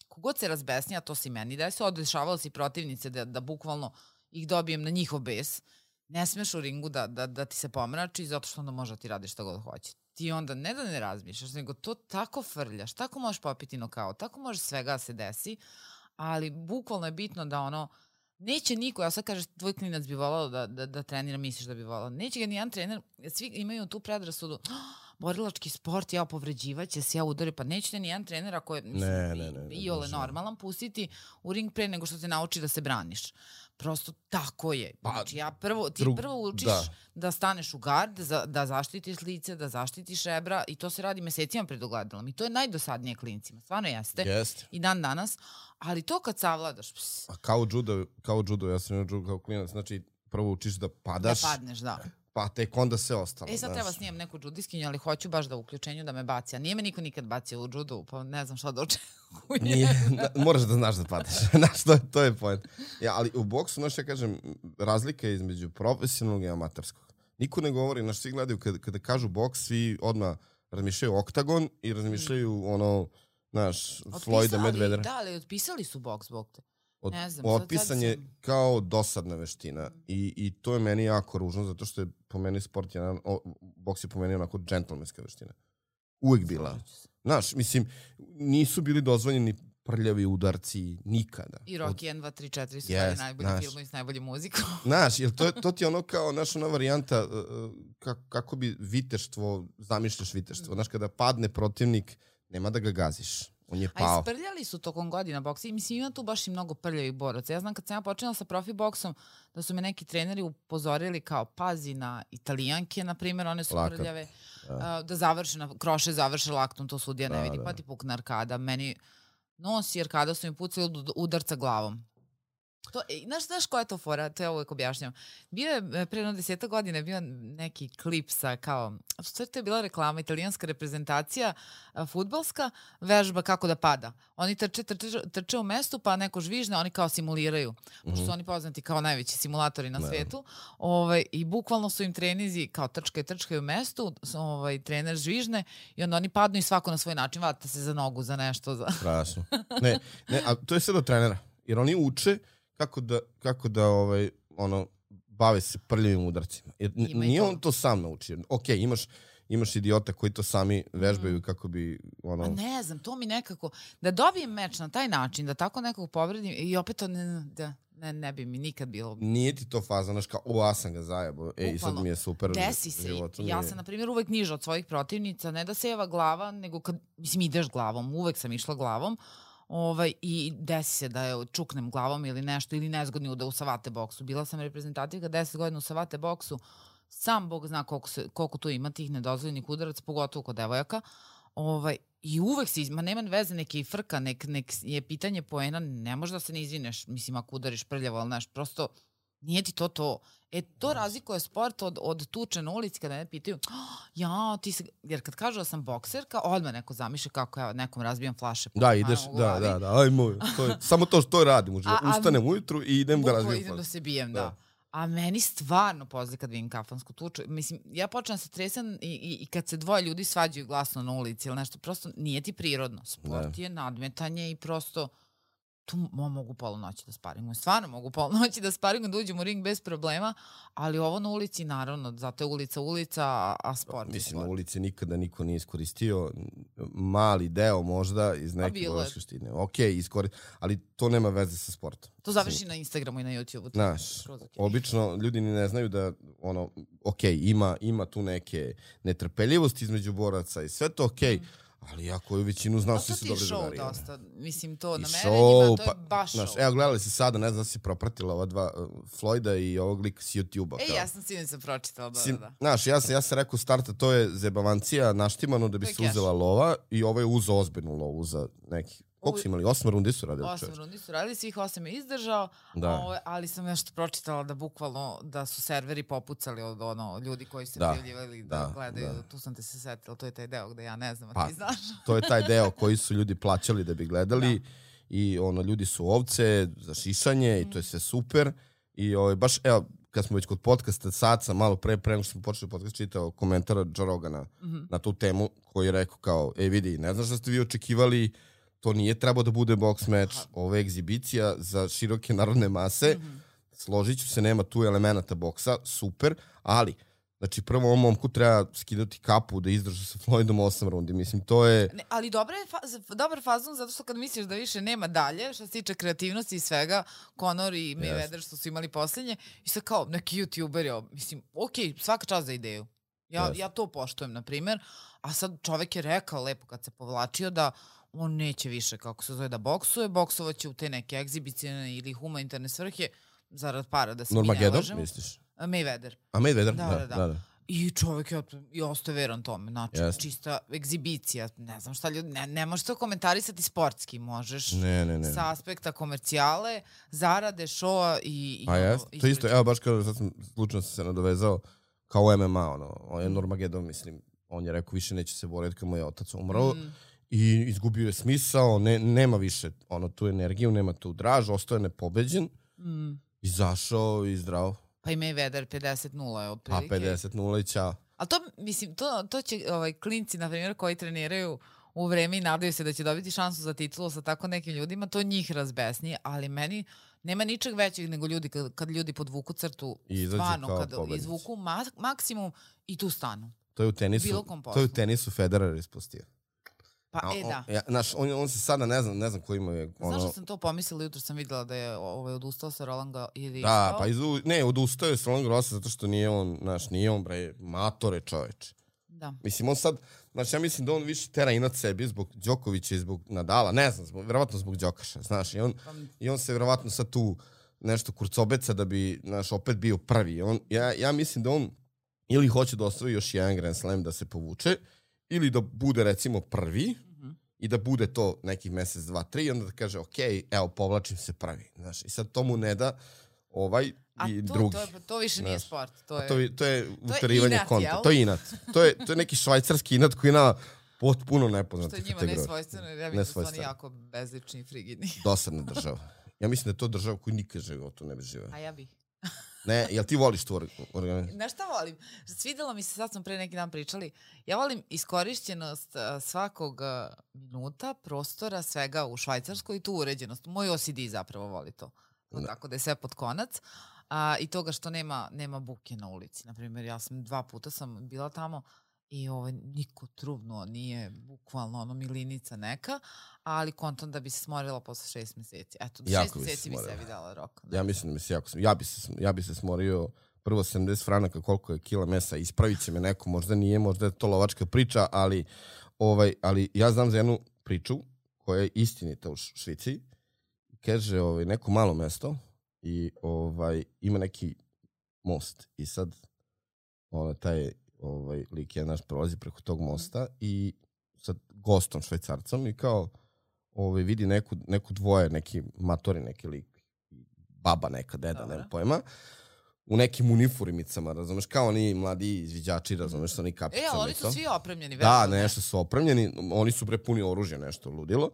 kogod se razbesnija, to se i meni desi, odešavalo se i protivnice da bukvalno ih dobijem na njihov bes. Ne smeš u ringu da ti se pomrači zato što onda može da ti radiš šta god hoće. Ti onda ne da ne razmišljaš, nego to tako frljaš, tako možeš popiti nokaut, tako može svega da se desi, ali bukvalno je bitno da neće niko, ja sad kažeš, tvoj klinac bi volao da trenira, misliš da bi volao. Neće ga nijedan trener, svi imaju tu predrasudu, borilački sport, povređivaće se, udari, pa nećete nijedan trener ako je iole normalan pustiti u ring pre nego što te nauči da se braniš. Prosto tako je. Znači, ti prvo učiš da staneš u gard, da zaštitiš lice, da zaštitiš rebra i to se radi mesecima pred ogledalom. I to je najdosadnije klincima. Stvarno jeste. I dan danas. Ali to kad savladaš... A kao judo, ja sam judo kao klinac, znači prvo učiš da padaš. Da padneš, da. Pa tek onda sve ostalo. Sad treba snimam neku džudiskinju, ali hoću baš da u uključenju da me baci. A nije me niko nikad bacio u džudu, pa ne znam šta da očekujem. Moraš da znaš da padaš. Znaš, to je point. Ali u boksu, znaš, ja kažem, razlika je između profesionalnog i amaterskog. Niko ne govori, znaš, svi gledaju, kada kažu boks, svi odmah razmišljaju oktagon i razmišljaju znaš, Floyda Mayweathera. Da, ali otpisali su boks zbog te. Otpisan je kao dosadna veština i to je meni jako ružno zato što je po meni sport boks je po meni onako džentlmenska veština. Uvijek bila. Znaš, mislim, nisu bili dozvoljeni prljavi udarci nikada. I Rocky 1, 2, 3, 4 su najbolji film i s najboljim muzikom. Znaš, jer to ti je ono kao ona varijanta kako bi viteštvo, zamišljaš viteštvo. Znaš, kada padne protivnik, nema da ga gaziš. On je pao. A isprljali su tokom godina boksa i mislim ima tu baš i mnogo prljavih boraca. Ja znam kad sam ja počela sa profi boksom da su me neki treneri upozorili kao pazi na Italijanke, na primjer, one su prljave, da završe, kroše završe laktom, to sudija ne vidi, pa ti pukne arkada. Meni nosi arkada su mi pucali od udarca glavom. Znaš koja je to fora? To ja uvijek objašnjam. Bio je pre 10 godina bio neki klip sa kao, što to je bila reklama, italijanska reprezentacija fudbalska, vežba kako da pada. Oni trče u mestu pa neko žvižne, oni kao simuliraju. Pošto su oni poznati kao najveći simulatori na svetu. I bukvalno su im trenizi kao trčkaju u mestu, trener žvižne i onda oni padnu i svako na svoj način vata se za nogu, za nešto. Strašno. Ne, a to je sve do trenera. Jer oni uče kako da bave se prljavim udarcima. Jer nije on to sam naučio. Ok, imaš idiota koji to sami vežbaju kako bi... A ne znam, to mi nekako... Da dobijem meč na taj način, da tako nekog povredim i opet to ne bi mi nikad bilo... Nije ti to faza, znaš kao, ja sam ga zajebo, i sad mi je super. Desi se. Ja sam, na primjer, uvek niža od svojih protivnica, ne da seva glava, nego kad, mislim, ideš glavom, uvek sam išla glavom, i desi se da je čuknem glavom ili nešto, ili nezgodni udar u savate boksu. Bila sam reprezentativka 10 godina u savate boksu, sam Bog zna koliko tu ima tih nedozvoljenih udaraca, pogotovo kod devojaka. I uvek se, nema veze, neke i frka, nek je pitanje poena, ne možeš da se ne izvineš, mislim, ako udariš prljavo, ali znaš, prosto nije ti to. To razlikuje sport od tuče na ulici kada ne pitaju, jer kad kažu da sam bokserka, odmah neko zamišlja kako ja nekom razbijam flaše. Da, ideš, ajmo, samo to radim, ustanem ujutru i idem da razbijam flaše. Idem da se bijem, da. A meni stvarno pozli kad vidim kafansku tuču. Mislim, ja počnem se tresam i kad se dvoje ljudi svađaju glasno na ulici ili nešto, prosto nije ti prirodno. Sport je nadmetanje i prosto tu mogu pola noći da sparingujem. Stvarno mogu pola noći da sparingujem, da uđem u ring bez problema, ali ovo na ulici, naravno, zato je ulica, a sport. Mislim, na ulici nikada niko nije iskoristio, mali deo možda iz neke vojskoštine. Ok, ali to nema veze sa sportom. To završi na Instagramu i na YouTubeu. Znaš, obično ljudi ni ne znaju da, ok, ima tu neke netrpeljivosti između boraca i sve to ok, ali ja koju većinu znam, svi su dobri drugari. A to ti je show dosta, mislim to na show, merenjima, to je baš show. Evo, gledali si sada, ne znam da si propratila ova dva Floyda i ovog lika s YouTube-a. Ja sam sinoć pročitala, da. Znaš, ja sam rekao starta, to je zebavancija naštimano da bi se uzela lova i ovo je uzeo ozbiljnu lovu za neki. Koliko su imali? 8 rundi su radili? 8 rundi su radili, svih 8 je izdržao, ali sam nešto pročitala da bukvalno da su serveri popucali od ljudi koji se prijavljivali da gledaju. Tu sam te se setila, to je taj deo gde ja ne znam, a ti znaš. To je taj deo koji su ljudi plaćali da bi gledali i ljudi su ovce za šišanje i to je sve super. I baš, evo, kad smo već kod podcasta, sad sam malo pre nego što smo počeli podcast, čitao komentara Joe Rogana na tu temu koji je rekao kao, vidi, ne znaš da ste vi očekivali, to nije trebao da bude boks meč, ovo je egzibicija za široke narodne mase, složit ću se, nema tu elemenata boksa, super, ali, znači prvo ovom momku treba skidati kapu da izdrži sa Floydom 8 rundi, mislim, to je... Ali dobar fazon, zato što kad misliš da više nema dalje, što se tiče kreativnosti i svega, Conor i Mayweather što su imali poslednje, i sad kao neki YouTuberi, mislim, okej, svaka čast za ideju. Ja to poštujem, na primjer, a sad čovek je rekao lepo kad se povlačio da on neće više, kako se zove, da boksuje, boksovaće u te neke egzibicijne ili humanitarne svrhe, zarad para, da se mi ne lažemo. Normagedon, misliš? Mayweather. A Mayweather? Da. I čovjek je ostaje veran tome, znači čista egzibicija, ne znam šta ljudi, ne možeš to komentarisati sportski, možeš sa aspekta komercijale, zarade, showa i... To isto, evo baš kao sad sam slučajno se nadovezao kao MMA, on je Normagedon, mislim, on je rekao više neće se boriti kad mu je otac umrao. I izgubio je smisao, nema više tu energiju, nema tu draž, ostao je nepobeđen, izašao i zdravo. Pa i Mayweather 50-0 je otprilike. Pa 50-0 i ćao. Ali to, mislim, to će klinci, na primjer, koji treniraju u vreme i nadaju se da će dobiti šansu za titulu sa tako nekim ljudima, to njih razbesni, ali meni nema ničeg većeg nego ljudi, kad ljudi podvuku crtu, stvarno, kad izvuku maksimum i tu stanu. To je u tenisu Federer ispustio. Pa, da. Znaš, on se sada, ne znam ko ima je... Znaš što sam to pomislila, jutro sam videla da je odustao sa Rolanda ili... Da, pa odustao je sa Roland Garrosa zato što nije on, bre, matore čoveč. Da. Mislim, on sad, znači ja mislim da on više tera inat sebi zbog Đokovića i zbog Nadala, ne znam, verovatno zbog Đokaša, znaš, i on se verovatno sad tu nešto kurcobeca da bi, znaš, opet bio prvi. Ja mislim da on ili hoće da osvoji još jedan Grand Slam da se povuče, ili da bude recimo prvi i da bude to nekih mesec, 2, 3 i onda da kaže ok, evo povlačim se prvi. Znaš, i sad to mu ne da i drugi. To više nije sport. To je uterivanje konta. To je inat. To je neki švajcarski inat koji na potpuno nepoznate kategorije. Što je njima nesvojstveno, jer ja vidim da su oni jako bezlični i frigidni. Dosadna država. Ja mislim da je to država koju nikad životu ne bi živeo. A ja bih. Ne, jel ti voliš tu organizaciju? Znaš šta volim? Svidelo mi se, sad smo pre neki dan pričali, ja volim iskorišćenost svakog minuta, prostora, svega u Švajcarskoj i tu uređenost. Moj OCD zapravo voli to. Tako da je sve pod konac. I toga što nema buke na ulici. Naprimjer, ja sam 2 puta sam bila tamo i niko trubnuo, nije bukvalno milinica neka, ali kontam da bi se smorila posle 6 meseci. Eto, do 6 meseci bi sebi dala rok. Ja mislim da mi se jako... Ja bi se smorio prvo 70 franaka koliko je kila mesa. Ispravit će me neko, možda nije, možda je to lovačka priča, ali ja znam za jednu priču koja je istinita u Švici. Kaže neko malo mesto i ima neki most i sad taj lik je naš prolazi preko tog mosta i sad gostom Švajcarcom i kao vidi neku dvoje, neki matori, neki lik, baba neka, deda, nema pojma, u nekim uniformicama, razumeš, kao oni mladi izviđači, razumeš, sa oni kapicama. Ali oni su svi opremljeni. Da, nešto su opremljeni, oni su prepuni oružja, nešto ludilo,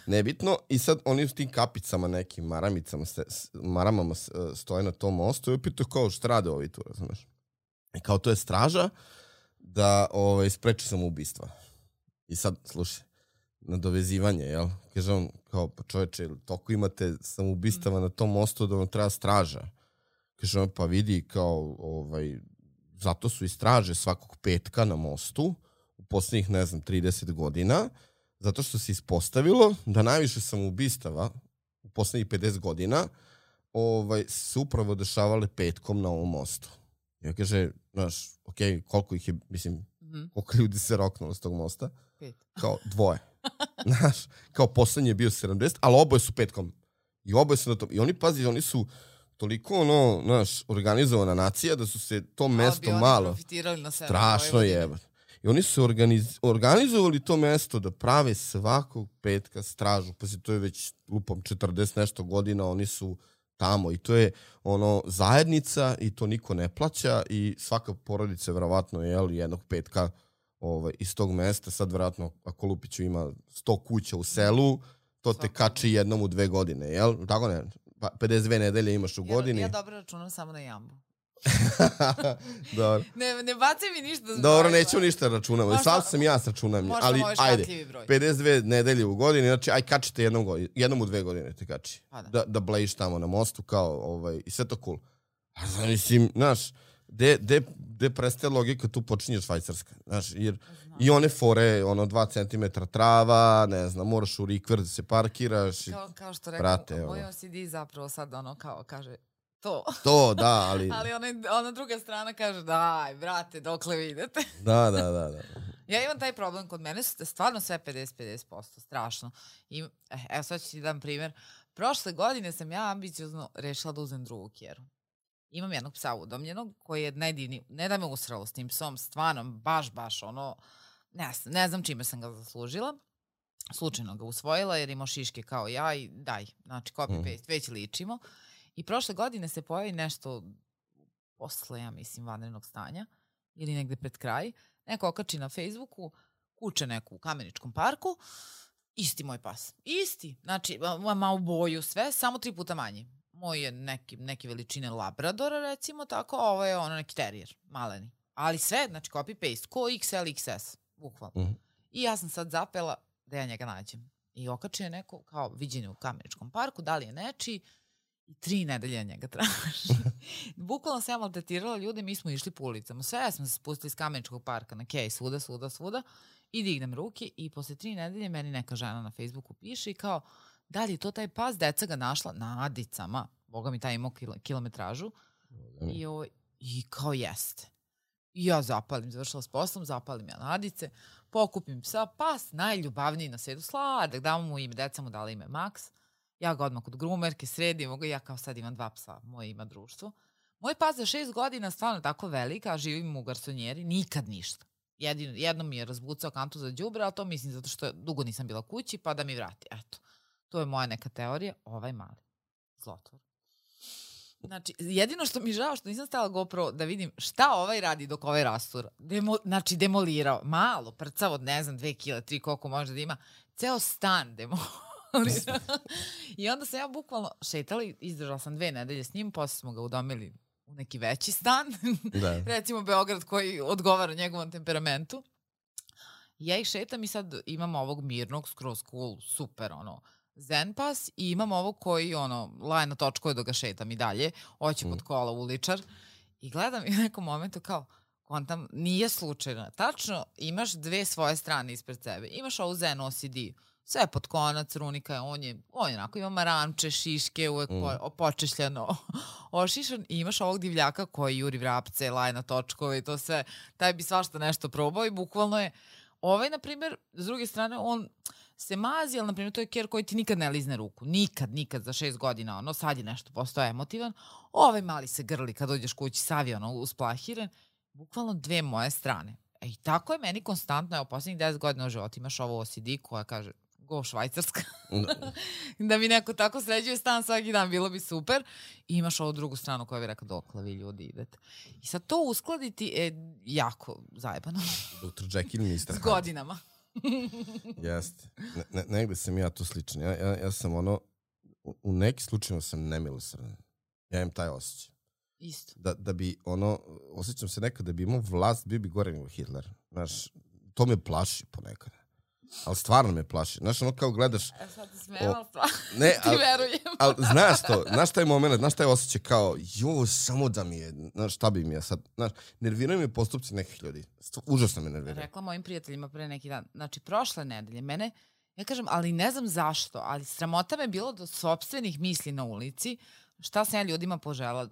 nebitno, i sad oni s tim kapicama, nekim maramama stoje na tom mostu i opet kao šta rade ovi tu, razumeš. I kao to je straža da spreči samoubistva. I sad, slušaj, nadovezivanje, jel? Kaže on, kao, pa čoveče, toliko imate samoubistava na tom mostu da vam treba straža. Kaže on, pa vidi, kao, zato su i straže svakog petka na mostu u poslednjih, 30 godina, zato što se ispostavilo da najviše samoubistava u poslednjih 50 godina se upravo dešavale petkom na ovom mostu. Ja kaže, znaš, koliko ih je, mislim, koliko ljudi se roknulo s tog mosta. 5. Kao 2. Znaš, kao poslednji je bio 70, ali oboje su petkom. I oboje su na tom. I oni, pazi, oni su toliko, organizovana nacija da su se to mesto malo... profitirali na sebe. Strašno je. I oni su organizovali to mesto da prave svakog petka stražu. Pazi, to je već, lupom, 40 nešto godina, oni su tamo. I to je zajednica i to niko ne plaća i svaka porodica verovatno je jednog petka iz tog mesta. Sad verovatno ako Lupiću ima 100 kuća u selu, to te kači jednom u 2 godine, jel? Tako ne? 52 nedelje imaš u godini. Ja dobro računam samo na jambu. Dobro. Ne bacaj mi ništa. Dobro, neću ništa računamo. Sam sam ja s računam. Ali ajde, 52 nedelje u godini, znači aj kačite jednom u 2 godine te kači. Da blejiš tamo na mostu kao i sve to cool. A mislim, znaš, gde prestaje logika, tu počinje Švajcarska. Znaš, jer i one fore, 2 cm trava, ne znam, moraš u rikver da se parkiraš. Kao što rekao, moj OCD zapravo sad kao kaže to, da, ali... Ali ona druga strana kaže, daj, brate, dokle vi idete? Da. Ja imam taj problem, kod mene su stvarno sve 50%, strašno. Evo sad ću ti dam primjer. Prošle godine sam ja ambiciozno rešila da uzem drugu kjeru. Imam jednog psa udomljenog koji je najdivniji, ne da me usralo s tim psom, stvarno, baš, ne znam čime sam ga zaslužila. Slučajno ga usvojila jer imao šiške kao ja i daj, znači copy-paste, već ličimo. I prošle godine se pojavi nešto posle, ja mislim, vanrednog stanja ili negde pred kraj. Neko okači na Facebooku, kuće neku u Kameničkom parku, isti moj pas. Isti. Znači, ma u boju sve, samo 3 puta manji. Moj je neke veličine labradora, recimo tako, a ovo je neki terijer, maleni. Ali sve, znači copy-paste, ko XL, XS, bukvalno. I ja sam sad zapela da ja njega nađem. I okači je neko, kao viđenje u Kameničkom parku, da li je nečiji, i 3 nedelje njega traži. Bukvalno sam ja maltretirala ljude, mi smo išli po ulicama. Sve smo se spustili iz Kameničkog parka na kej, svuda i dignem ruke i posle 3 nedelje meni neka žena na Facebooku piše i kao, da li je to taj pas, deca ga našla na Adicama, boga mi taj imao kilometražu i kao jeste. I ja završila s poslom, zapalim ja na Adice, pokupim psa, pas najljubavniji na svijetu, sladak, damo mu ime, deca mu dala ime Max. Ja ga odmah kod grumerke sredim, ja kao sad imam 2 psa, moje ima društvo. Moj pas za 6 godina stvarno tako velika, a živim u garsonjeri, nikad ništa. Jednom mi je razbucao kantu za đubre, ali to mislim zato što dugo nisam bila kući, pa da mi vrati. Eto, to je moja neka teorija, ovaj mali zlotvor. Znači, jedino što mi žao što nisam stala GoPro da vidim šta ovaj radi dok ovaj rastura. Znači, demolirao. Malo, prcav od, ne znam, 2 kila, 3, koliko može da ima. Ceo stan demolirao. I onda sam ja bukvalno šetala i izdržala sam 2 nedelje s njim, posle smo ga udomili u neki veći stan, recimo Beograd koji odgovara njegovom temperamentu. Ja ih šetam i sad imam ovog mirnog, skroz cool, super, zen pas i imam ovog koji, laje na točkove da ga šetam i dalje, hoće pod kola uličar i gledam i u nekom momentu kao, kontam, nije slučajno. Tačno, imaš 2 svoje strane ispred sebe. Imaš ovu zen OCD, sve pod konac, runika, on je onako, ima maramče, šiške, uvek počešljano, ošišan i imaš ovog divljaka koji juri vrapce, laje na točkove i to sve, taj bi svašta nešto probao i bukvalno je, ovaj, na primjer, s druge strane, on se mazi, ali, na primjer, to je ker koji ti nikad ne lizne ruku, nikad za 6 godina, sad je nešto postao emotivan, ovaj mali se grli kad dođeš kući, sav je usplahiren, bukvalno 2 moje strane. I tako je meni konstantno, evo, posljednjih 10 godina u životu imaš ovo OCD koja kaže, go Švajcarska. Da mi neko tako sređuje stan svaki dan, bilo bi super. I imaš ovu drugu stranu koja bi rekao, dokle vi ljudi idete. I sad to uskladiti je jako zajebano. Dr. Jekyll i Mr. Hyde. S godinama. Jeste. Negde sam ja tu sličan. Ja sam u neki slučajima sam nemilosrdan. Ja imam taj osjećaj. Isto. Da bi osjećam se nekad da bi imao vlast, bio bi gore nego Hitler. Znaš, to me plaši ponekad. Ali stvarno me plaši. Znaš, kao gledaš... Sad ti smijela plaši. Ti verujem. Ali znaš taj moment, znaš taj osjećaj kao, samo da mi je, znaš, šta bi mi je sad, znaš, nerviraju me postupci nekih ljudi. Užasno me nerviraju. Rekla mojim prijateljima pre neki dan, znači, prošle nedelje, mene, ja kažem, ali ne znam zašto, ali sramota me bilo do sopstvenih misli na ulici, šta sam ja ljudima požela?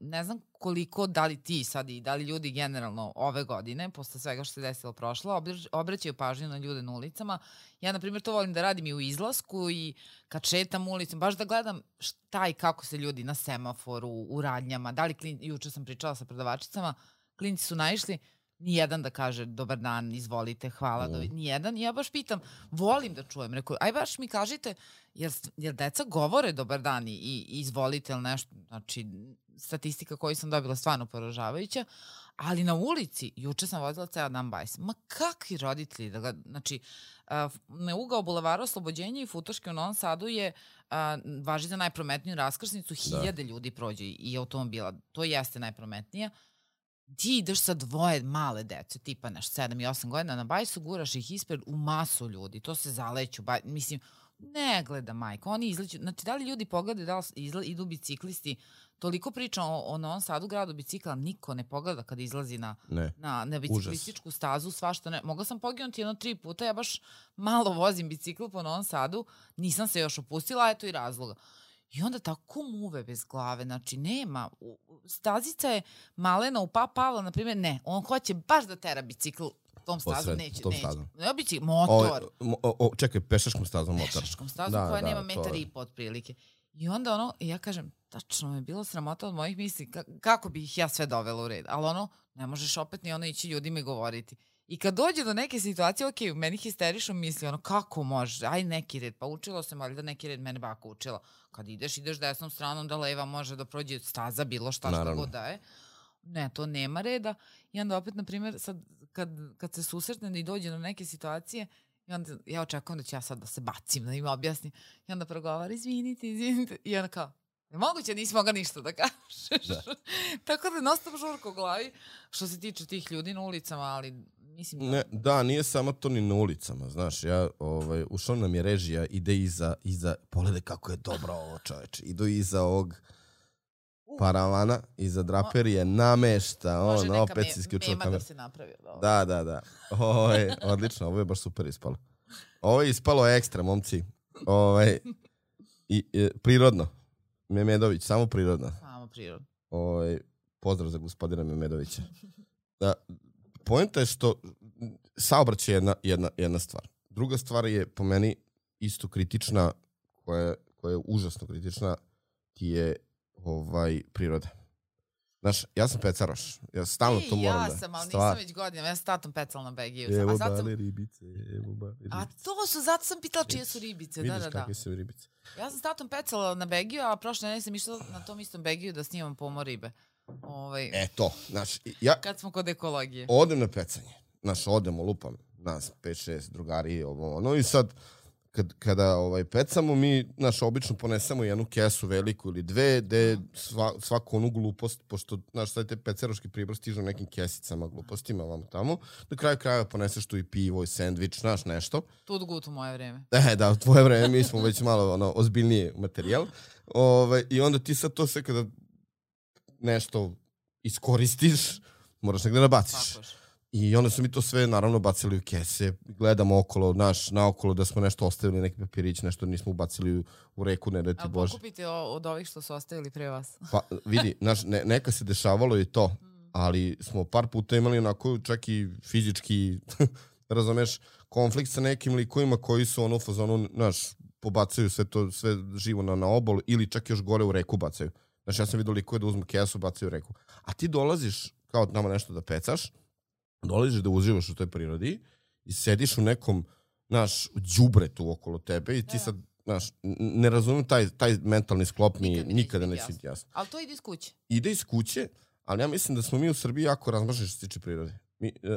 Ne znam koliko, da li ti sad i da li ljudi generalno ove godine, posle svega što se desilo prošlo, obraćaju pažnju na ljude na ulicama. Ja, na primjer, to volim da radim i u izlasku i kad šetam ulicom, baš da gledam šta i kako se ljudi na semaforu, u radnjama, da li juče sam pričala sa prodavačicama, klinci su naišli, nijedan da kaže dobar dan, izvolite, hvala, nijedan. I ja baš pitam, volim da čujem, rekao, aj baš mi kažite, jer deca govore dobar dan i izvolite ili nešto, znači statistika koju sam dobila stvarno poražavajuća, ali na ulici, juče sam vozila ceo dan bajs, ma kakvi roditelji, znači na ugao Bulevara Oslobođenja i Futoške u Novom Sadu je, važi za najprometniju raskrsnicu, 1000 ljudi prođe i automobila, to jeste najprometnija. Ti ideš sa 2 male dece, tipa 7 i 8 godina na bajsu, guraš ih ispred u masu ljudi, to se zaleću, mislim, ne gleda majko, oni izleću, znači da li ljudi pogledaju da li idu biciklisti, toliko priča o Novom Sadu, gradu bicikla, niko ne pogleda kada izlazi na biciklističku stazu, svašta ne, mogla sam poginuti 3 puta, ja baš malo vozim bicikl po Novom Sadu, nisam se još opustila, eto i razloga. I onda tako muve bez glave, znači nema, stazica je malena u Pavla, na primjer, ne, on hoće baš da tera bicikl tom stazom, neće. Ne bicikl, motor. Čekaj, pešačkom stazom motor. Pešačkom stazom koja nema 1,5 metra otprilike. I onda ja kažem, tačno me je bilo sramota od mojih misli, kako bi ih ja sve dovela u red, ali ne možeš opet ni ići ljudima i govoriti. I kad dođe do neke situacije, ok, meni histerišu misli, kako može, aj neki red, pa učilo sam, ali da neki red mene baka učila. Kad ideš desnom stranom da leva može da prođe staza, bilo šta god da je. Ne, to nema reda. I onda opet, na primjer, sad kad se susretne i dođe do neke situacije, i onda ja očekujem da ću ja sad da se bacim, da im objasnim. I onda progovara, izvinite. I onda kao, moguće nisi mogla ništa da kažeš. Da. Tako da nostam žurko u glavi što se tiče tih ljudi na ulicama, ali mislim da... Da, nije samo to ni na ulicama, znaš, ja ušao nam je režija, ide iza pogledaj kako je dobro ovo, čoveče, idu iza ovog paravana, iza draperije, namešta, opet si isključila kameru. Da se napravio. Da. Odlično, ovo je baš super ispalo. Ovo je ispalo ekstra, momci. Prirodno. Memedović, samo prirodno. Samo prirodno. Pozdrav za gospodina Memedovića. Poenta je što saobraćaj je jedna stvar. Druga stvar je po meni isto kritična, koja je užasno kritična, ti je priroda. Znaš, ja sam pecaroš. Ja stalno to moram da... Ja sam, ali nisam već godinama. Ja sam tatom pecala na Begiju. Evo bale ribice, A to su, zato sam pitala čije su ribice. Vidiš kakve su ribice. Ja sam s tatom pecala na Begiju, a prošle nedelje sam išla na tom istom Begiju da snimam pomor ribe. To, znaš, ja... Kad smo kod ekologije. Odem na pecanje. Znaš, odemo, lupam nas 5-6 drugari, i sad kada pecamo, mi obično ponesemo jednu kesu veliku ili dve, gde svaku onu glupost, pošto, znaš, sad te peceroški pribor stižu nekim kesicama, glupostima, vamo tamo, na kraju krajeva poneseš tu i pivo i sendvič, znaš, nešto. Tud gut u moje vreme. Da, u tvoje vreme, mi smo već malo ozbiljniji materijal. I onda ti sad to sve kada nešto iskoristiš, moraš negde nabaciš. I onda su mi to sve naravno bacili u kese, gledamo okolo, naokolo da smo nešto ostavili, neki papirić, nešto nismo ubacili u reku, ne da ti Bože. A pokupite od ovih što su ostavili pre vas. Pa vidi, neka se dešavalo i to, ali smo par puta imali onako čak i fizički, razumeš, konflikt sa nekim likovima koji su u fazonu, pobacaju sve živo na obol ili čak još gore u reku bacaju. Znaš, ja sam vidio likove da uzmu kesu, bacaju u reku. A ti dolaziš, kao nama nešto da pecaš, dolaziš da uživaš u toj prirodi i sediš u nekom, đubretu okolo tebe i ti sad, ne razumem taj mentalni sklop mi nikada neće biti jasno. Ali to ide iz kuće. Ide iz kuće, ali ja mislim da smo mi u Srbiji jako razmaženi što se tiče prirode.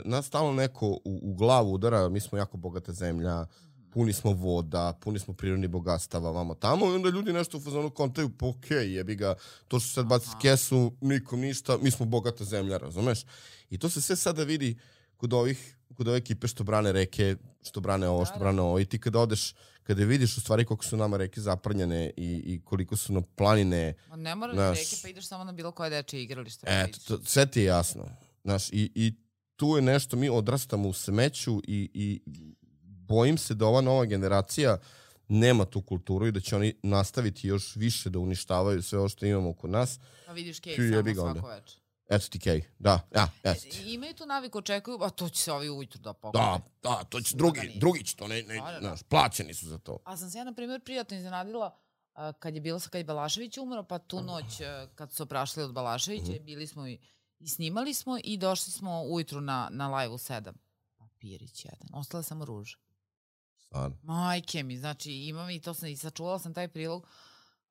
Nas stalno neko u glavu udara, mi smo jako bogata zemlja, puni smo voda, puni smo prirodnih bogatstava, vamo tamo, i onda ljudi nešto u fazonu kontaju, pa okej, jebi ga, to što sad baciti kesu, nikom ništa, mi smo bogata zemlja, razumeš? I to se sve sada vidi kod ove ekipe što brane reke, što brane ovo, što brane ovo, i ti kada odeš, kada vidiš u stvari koliko su nama reke zaprljane i koliko su nam planine. Ne moraš reke, pa ideš samo na bilo koje dečje igralište. Sve ti je jasno. I tu je nešto, mi odrastamo u smeću i bojim se da ova nova generacija nema tu kulturu i da će oni nastaviti još više da uništavaju sve ovo što imamo oko nas. Pa vidiš Kej samo svako večer. Eto ti Kej, da, eto ti. Imaju tu naviku, očekuju, a to će se ovi ujutru da pokupe. Da, to će drugi će to, znaš, plaćeni su za to. A sam se ja, na primjer, prijatno iznenadila kad je Balašević umro, pa tu noć kad su oprašli od Balaševića, bili smo i snimali smo i došli smo ujutru na live u 7. Papirić jedan, ostale samo ruže. Stvarno? Majke mi, znači imam i to sam i sačuvala sam taj prilog.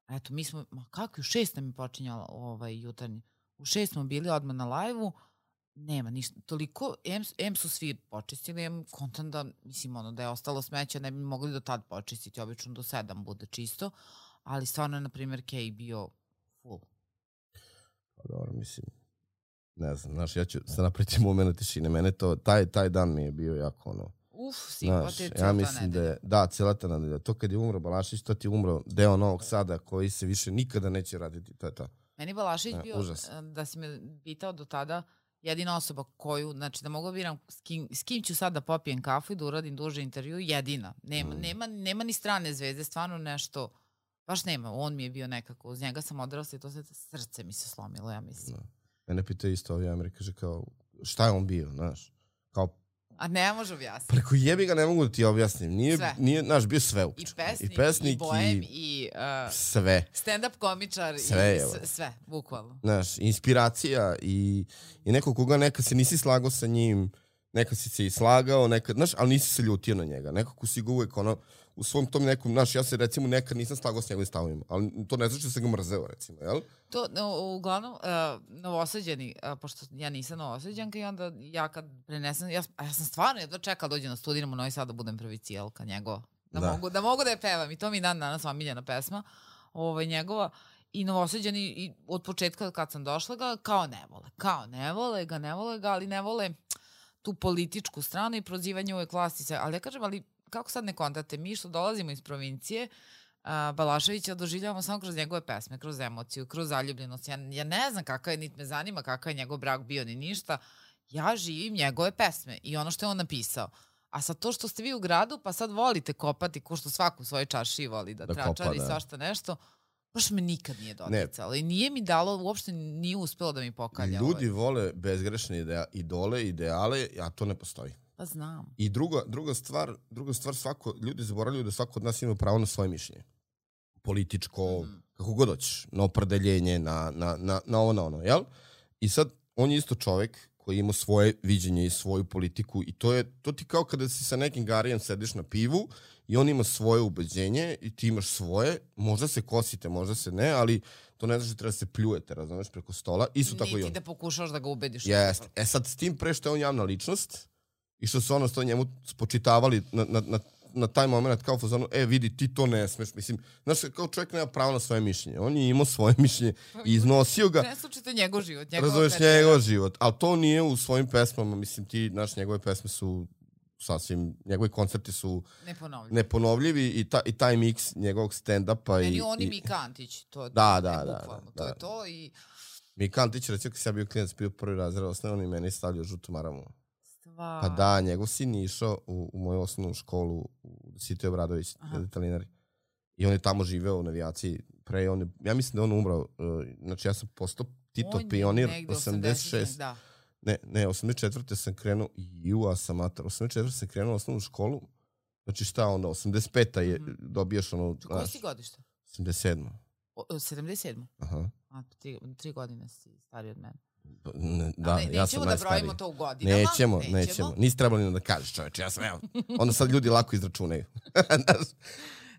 Eto, mi smo, kako u 6 nam je počinjala jutarnji. U 6 smo bili odmah na live-u, nema ništa, toliko, M su svi počistili, M kontam da, mislim, da je ostalo smeća, ne bi mogli do tad počistiti, obično do 7 bude čisto, ali stvarno je, na primjer, Kej bio full. Pa dobro, mislim, ne znam, znaš, ja ću se napraviti moment tišine, mene to, taj dan mi je bio jako ja mislim da cijela ta nedelja. To kad je umro Balašević, to ti je umro deo Novog Sada koji se više nikada neće raditi, to je to. Meni Balašević bio, da si me pitao do tada, jedina osoba koju, znači da mogu da biram s kim ću sad da popijem kafu i da uradim duže intervju, jedina. Nema ni strane zvezde, stvarno nešto, baš nema. On mi je bio nekako, uz njega sam odrasla i to srce mi se slomilo, ja mislim. Mene pita isto ovi Amerika, kaže kao, šta je on bio, znaš, kao a ne može objasniti. Preko jebi ga ne mogu da ti objasnim. Nije naš bio sve uopće. I pesnik, i bohem, i sve. Stand-up komičar, sve, bukvalno. Znaš, inspiracija i neko koga neka se nisi slagao sa njim, neka si se i slagao, znaš, ali nisi se ljutio na njega. Nekako si ga uvek u svom tom nekom, znaš, ja se recimo nekad nisam slagao s njegovim stavovima, ali to ne znači da sam ga mrzeo, recimo, jel? To, uglavnom, Novosađani, pošto ja nisam Novosađanka i onda ja kad prenesem, ja sam stvarno jedva čekala dođe na studiram u Novi Sad da budem prvicijelka njegova, da mogu da je pevam i to mi dan danas omiljena pesma njegova. I Novosađani i od početka kad sam došla ga ne vole ga, ali ne vole tu političku stranu i prozivanje uvek vlasti se, ali ja kažem, ali kako sad ne kontate, mi što dolazimo iz provincije, Balaševića doživljavamo samo kroz njegove pesme, kroz emociju, kroz zaljubljenost. Ja ne znam kakav je, niti me zanima kakav je njegov brak bio ni ništa. Ja živim njegove pesme i ono što je on napisao. A sad to što ste vi u gradu, pa sad volite kopati, ko što svaku u svojoj čaršiji voli da tračari i svašta nešto, baš me nikad nije doticalo. I nije mi dalo, uopšte nije uspelo da mi pokalja. Ljudi vole bezgrešne idole, ideale, a to ne postoji. Pa znam. I druga stvar, ljudi zaboravljaju da svako od nas ima pravo na svoje mišljenje. Političko, kako god hoćeš, na opredeljenje, na ono, jel? I sad, on je isto čovek koji ima svoje viđenje i svoju politiku i to ti kao kada si sa nekim garijem sediš na pivu i on ima svoje ubeđenje i ti imaš svoje, možda se kosite, možda se ne, ali to ne znači da treba da se pljujete, razumeš, preko stola. Isto tako i on. Niti da pokušaš da ga ubediš. Jeste. Sad, s tim pre što je on javna ličnost i što su što njemu spočitavali na taj moment kao fazonu, vidi, ti to ne smeš. Mislim, znaš, kao čovjek nema pravo na svoje mišljenje. On je imao svoje mišljenje i iznosio ga. Ne slučajte njegov život. Razumeš njegov život. Ali to nije u svojim pesmama. Mislim, njegove pesme su sasvim, njegovi koncerti su neponovljivi i taj miks njegovog stand-upa. Meni on i Mika Antić. Da. To je to i... Mika Antić, recimo, kad sam ja bio klinac, bio prvi razred osnovne, on i meni stavljao žutu maramu. Stvar. Pa da, njegov sin je išao u moju osnovnu školu u Sitoj Obradović, Detalinari. I on je tamo živeo u navijaciji. Ja mislim da je on umrao. Znači, ja sam postao Tito pionir 86. Da. Ne, 84. sam krenuo, 84. sam krenuo u osnovnu školu. Znači šta onda, 85. je dobijaš ono... Koji si godište? 87. 77. Aha. A 3 godine si stariji od mene. Da, ja sam najstariji. Nećemo da brojimo to u godinama. Nećemo. Nisi trebali da kažeš, čoveče, ja sam, evo. Onda sad ljudi lako izračunaju.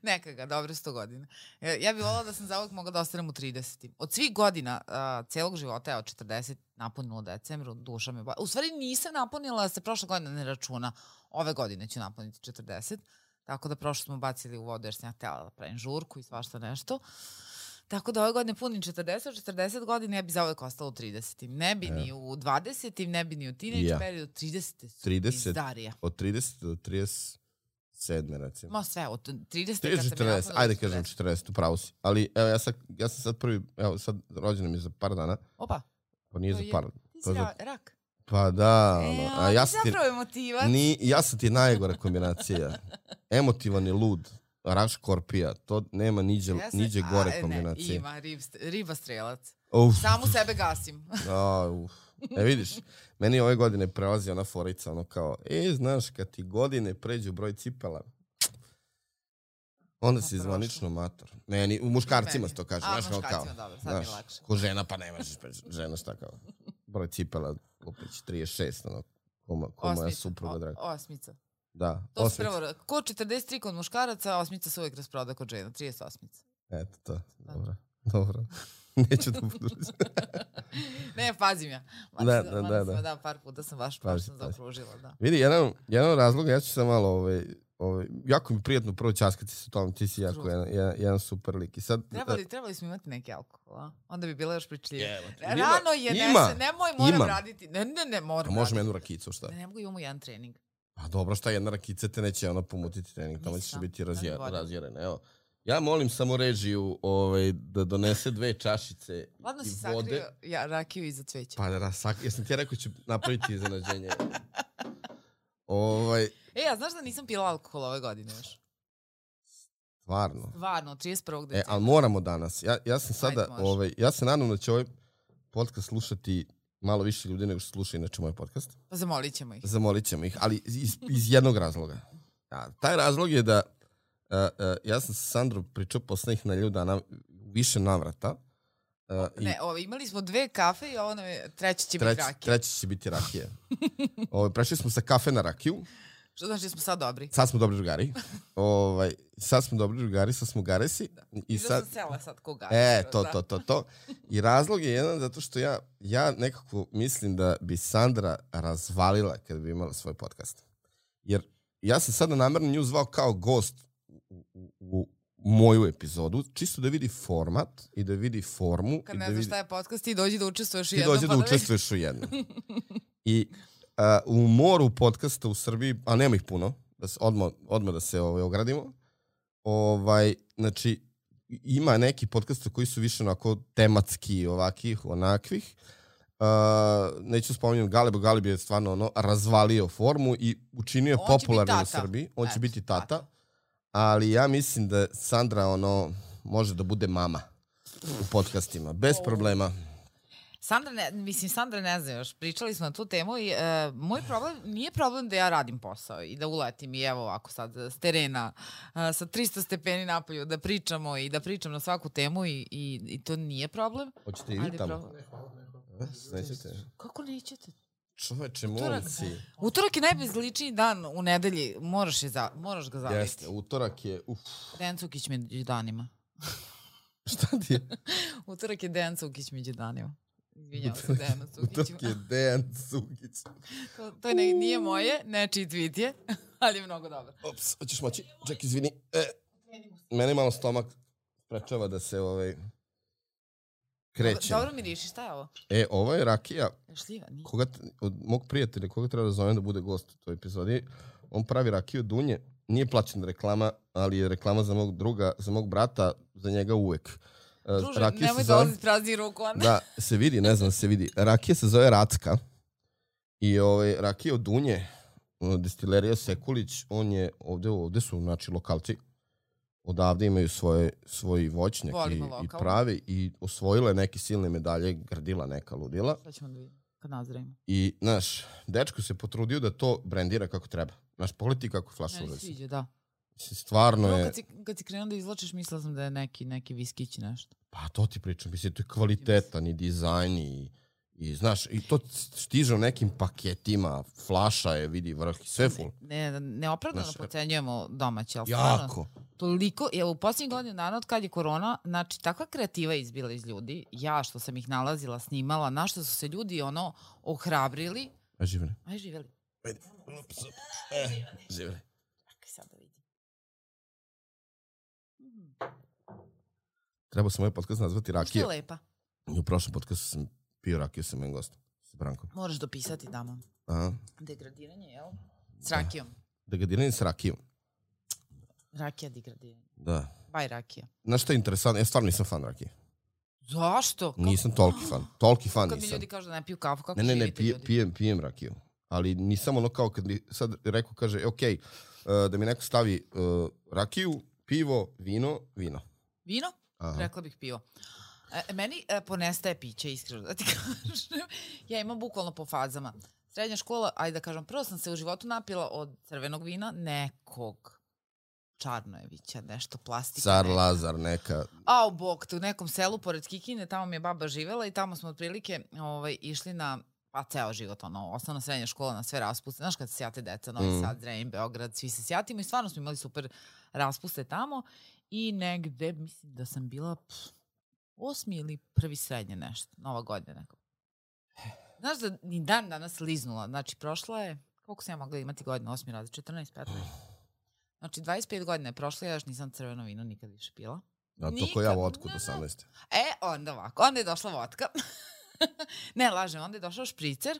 Neka ga, dobro 100 godina. Ja bih volila da sam zauvek mogla da ostanem u 30. Od svih godina celog života, evo 40, napunila u decembru, duša me... U stvari nisam napunila, da se prošle godine ne računa. Ove godine ću napuniti 40. Tako da prošlo smo bacili u vodu jer sam ja htjela da pravim žurku i svašta nešto. Tako da ove godine punim 40 godina, ja bi zauvek ostala u 30. Ne bi ni u 20. ne bi ni u teenage periodu, 30. su izdarija. Od 30 do 37, recimo. Ma sve, od 30. 40, ajde kažem 40, upravo si. Ali evo, ja sam sad prvi, evo sad rođena mi je za par dana. Opa. Pa nije za par. Ti si rak. Pa da, ja sam ti zapravo emotivac. Ja sam ti najgora kombinacija. Emotivan i lud. raškorpija, to nema niđe gore kombinacije. Ima, riba strelac. Uf. Samu sebe gasim. Vidiš, meni ove godine prelazi ona forica, ono kao, znaš, kad ti godine pređu broj cipela, onda si zvanično mator. Meni, u muškarcima se to kaže. A, muškarcima, dobro, sad mi je lakše. Ko žena, pa ne možeš preći. Žena šta kao, broj cipela, opet 36, ono, ko moja supruga draga. Osmica. Da, to osmica. Prvo, ko 43 kod muškaraca, osmica se uvijek rasproda kod žena, 38. Eto to, dobro. Neću da budu. Ne, pazim ja. Da, par puta sam baš zaokružila, da. Vidi, jedan razlog, ja ću sam malo, jako mi prijatno prvo časkati se u tom, ti si jako jedan super lik. I sad, trebali smo imati neki alkohol, a? Onda bi bila još pričljiva. Rano je, moram raditi. Ne, moram. Možemo jednu rakicu, šta? Ne mogu imamo jedan trening. Pa dobro, šta, jedna rakica te neće pomutiti trening, tamo ćeš biti razjeren. Evo, ja molim samo režiju da donese 2 čašice i vode. Ladno si sakrio rakiju iza cveća. Pa jesam ti rekao ću napraviti iznenađenje. A znaš da nisam pila alkohol ove godine još? Stvarno, 31. decembra. Ali moramo danas. Ja sam sada, ja se nadam da će ovaj podcast slušati malo više ljudi nego što sluša inače moj podcast. Pa zamolit ćemo ih, ali iz jednog razloga. Taj razlog je da ja sam sa Sandrom pričao poslednjih nedelju dana više navrata. Imali smo 2 kafe i ovo nam je treća će biti rakija. Treća će biti rakija. Prešli smo sa kafe na rakiju. Što znači da smo sad dobri? Sad smo dobri drugari. Sad smo garesi. I sad sam sela sad ko garesi. To. I razlog je jedan zato što ja nekako mislim da bi Sandra razvalila kada bi imala svoj podcast. Jer ja sam sada namerno nju zvao kao gost u moju epizodu, čisto da vidi format i da vidi formu. Kad ne znaš šta je podcast, ti dođi da učestvuješ u jednom. I u moru podcasta u Srbiji, a nema ih puno, odmah da se ogradimo, znači ima neki podcasta koji su više onako tematski, ovakih, onakvih. Neću spominjati Galeb je stvarno razvalio formu i učinio popularnim u Srbiji. On će biti tata. Ali ja mislim da Sandra može da bude mama u podcastima, bez problema. Sandra ne zna još, pričali smo na tu temu i moj problem, nije problem da ja radim posao i da uletim i evo ovako sad s terena sa 300 stepeni napolju da pričamo i da pričam na svaku temu i to nije problem. Hoćete i vi tamo? Nećete? Kako nećete? Čoveče, molim si. Utorak je najbezličniji dan u nedelji, moraš ga zaviti. Jeste, utorak je, Dejan Cukić među danima. Šta ti je? Utorak je Dejan Cukić među danima. Izvinjam se Dejanu Cukiću. Utorak je Dejan Cukić. To nije moje, nečiji tweet je, ali je mnogo dobro. Ops, hoćeš moći? Ček, izvini. Mene malo stomak sprečava da se krećem. Dobro miriši, šta je ovo? Ovo je rakija. Šljiva, nije. Od mog prijatelja, koga treba da zovem da bude gost u toj epizodi, on pravi rakiju od dunje. Nije plaćena reklama, ali je reklama za mog druga, za mog brata, za njega uvek. Druže, nemoj dolaziti prazni ruku. Da, se vidi, ne znam, se vidi. Rakija se zove Racka. I rakija od dunje, destilerija Sekulić, on je, ovde su, znači, lokalci. Odavde imaju svoj voćnjak i pravi i osvojila je neke silne medalje, grdila neka ludila. Šta ćemo da vidimo kad nazremo? I, znaš, dečko se potrudio da to brendira kako treba. Znaš, pogledaj kako flaša ulazi. Meni sviđa, da. Stvarno je... Kad si krenuo da izvlačiš, mislila sam da je neki viskić nešto. Pa to ti pričam, mislim, to je kvalitetan i dizajn i znaš, i to stiže u nekim paketima, flaša je, vidi vrh, sve full. Neopravdano procenjujemo domaće, ali jako. Toliko, u posljednjih godina dana od kad je korona, znači takva kreativa izbila iz ljudi, ja što sam ih nalazila, snimala, na što su se ljudi ohrabrili. Aj živeli. Živeli. Sad da vidim. Trebao sam ovaj podcast nazvati Rakija. Što je lepa? U prošlom podcastu sam pio rakiju sa mojim gostom, sa Brankom. Moraš dopisati tamo. Degradiranje, jel? S rakijom. Degradiranje s rakijom. Rakija degradiranje. Da. Baj rakija. Znaš što je interesantno? Ja stvarno nisam fan rakije. Zašto? Nisam toliki fan. Toliki fan nisam. Kad mi ljudi kažu da ne piju kafu, kako živite ljudi? Ne, pijem rakiju. Ali nisam kao kad mi sad rekao, kaže, ok, da mi neko stavi rakiju, pivo, vino. Vino? Aha. Rekla bih pivo. Meni ponestaje piće, iskreno da ti kažem. Ja imam bukvalno po fazama. Srednja škola, ajde da kažem, prvo sam se u životu napila od crvenog vina, nekog Čarnojevića, nešto plastika. Car Lazar, neka. A u bok, u nekom selu pored Kikinde, tamo mi je baba živela i tamo smo otprilike išli na, pa ceo život, osnovna srednja škola na sve raspuste. Znaš kad se sjate deca, Novi Sad, Zrenjanin, Beograd, svi se sjatimo i stvarno smo imali super raspuste tamo i negde, mislim da sam bila 8. ili 1. srednje nešto, Nova godina neko. Znaš da ni dan danas liznula, znači prošla je, koliko sam ja mogla imati godina, 8. razred, 14, 15. Znači 25 godina je prošla, ja još nisam crveno vino nikad više pila. Da, to ko ja vodku do 18. Onda ovako, onda je došla vodka. Ne, lažem, onda je došao špricer,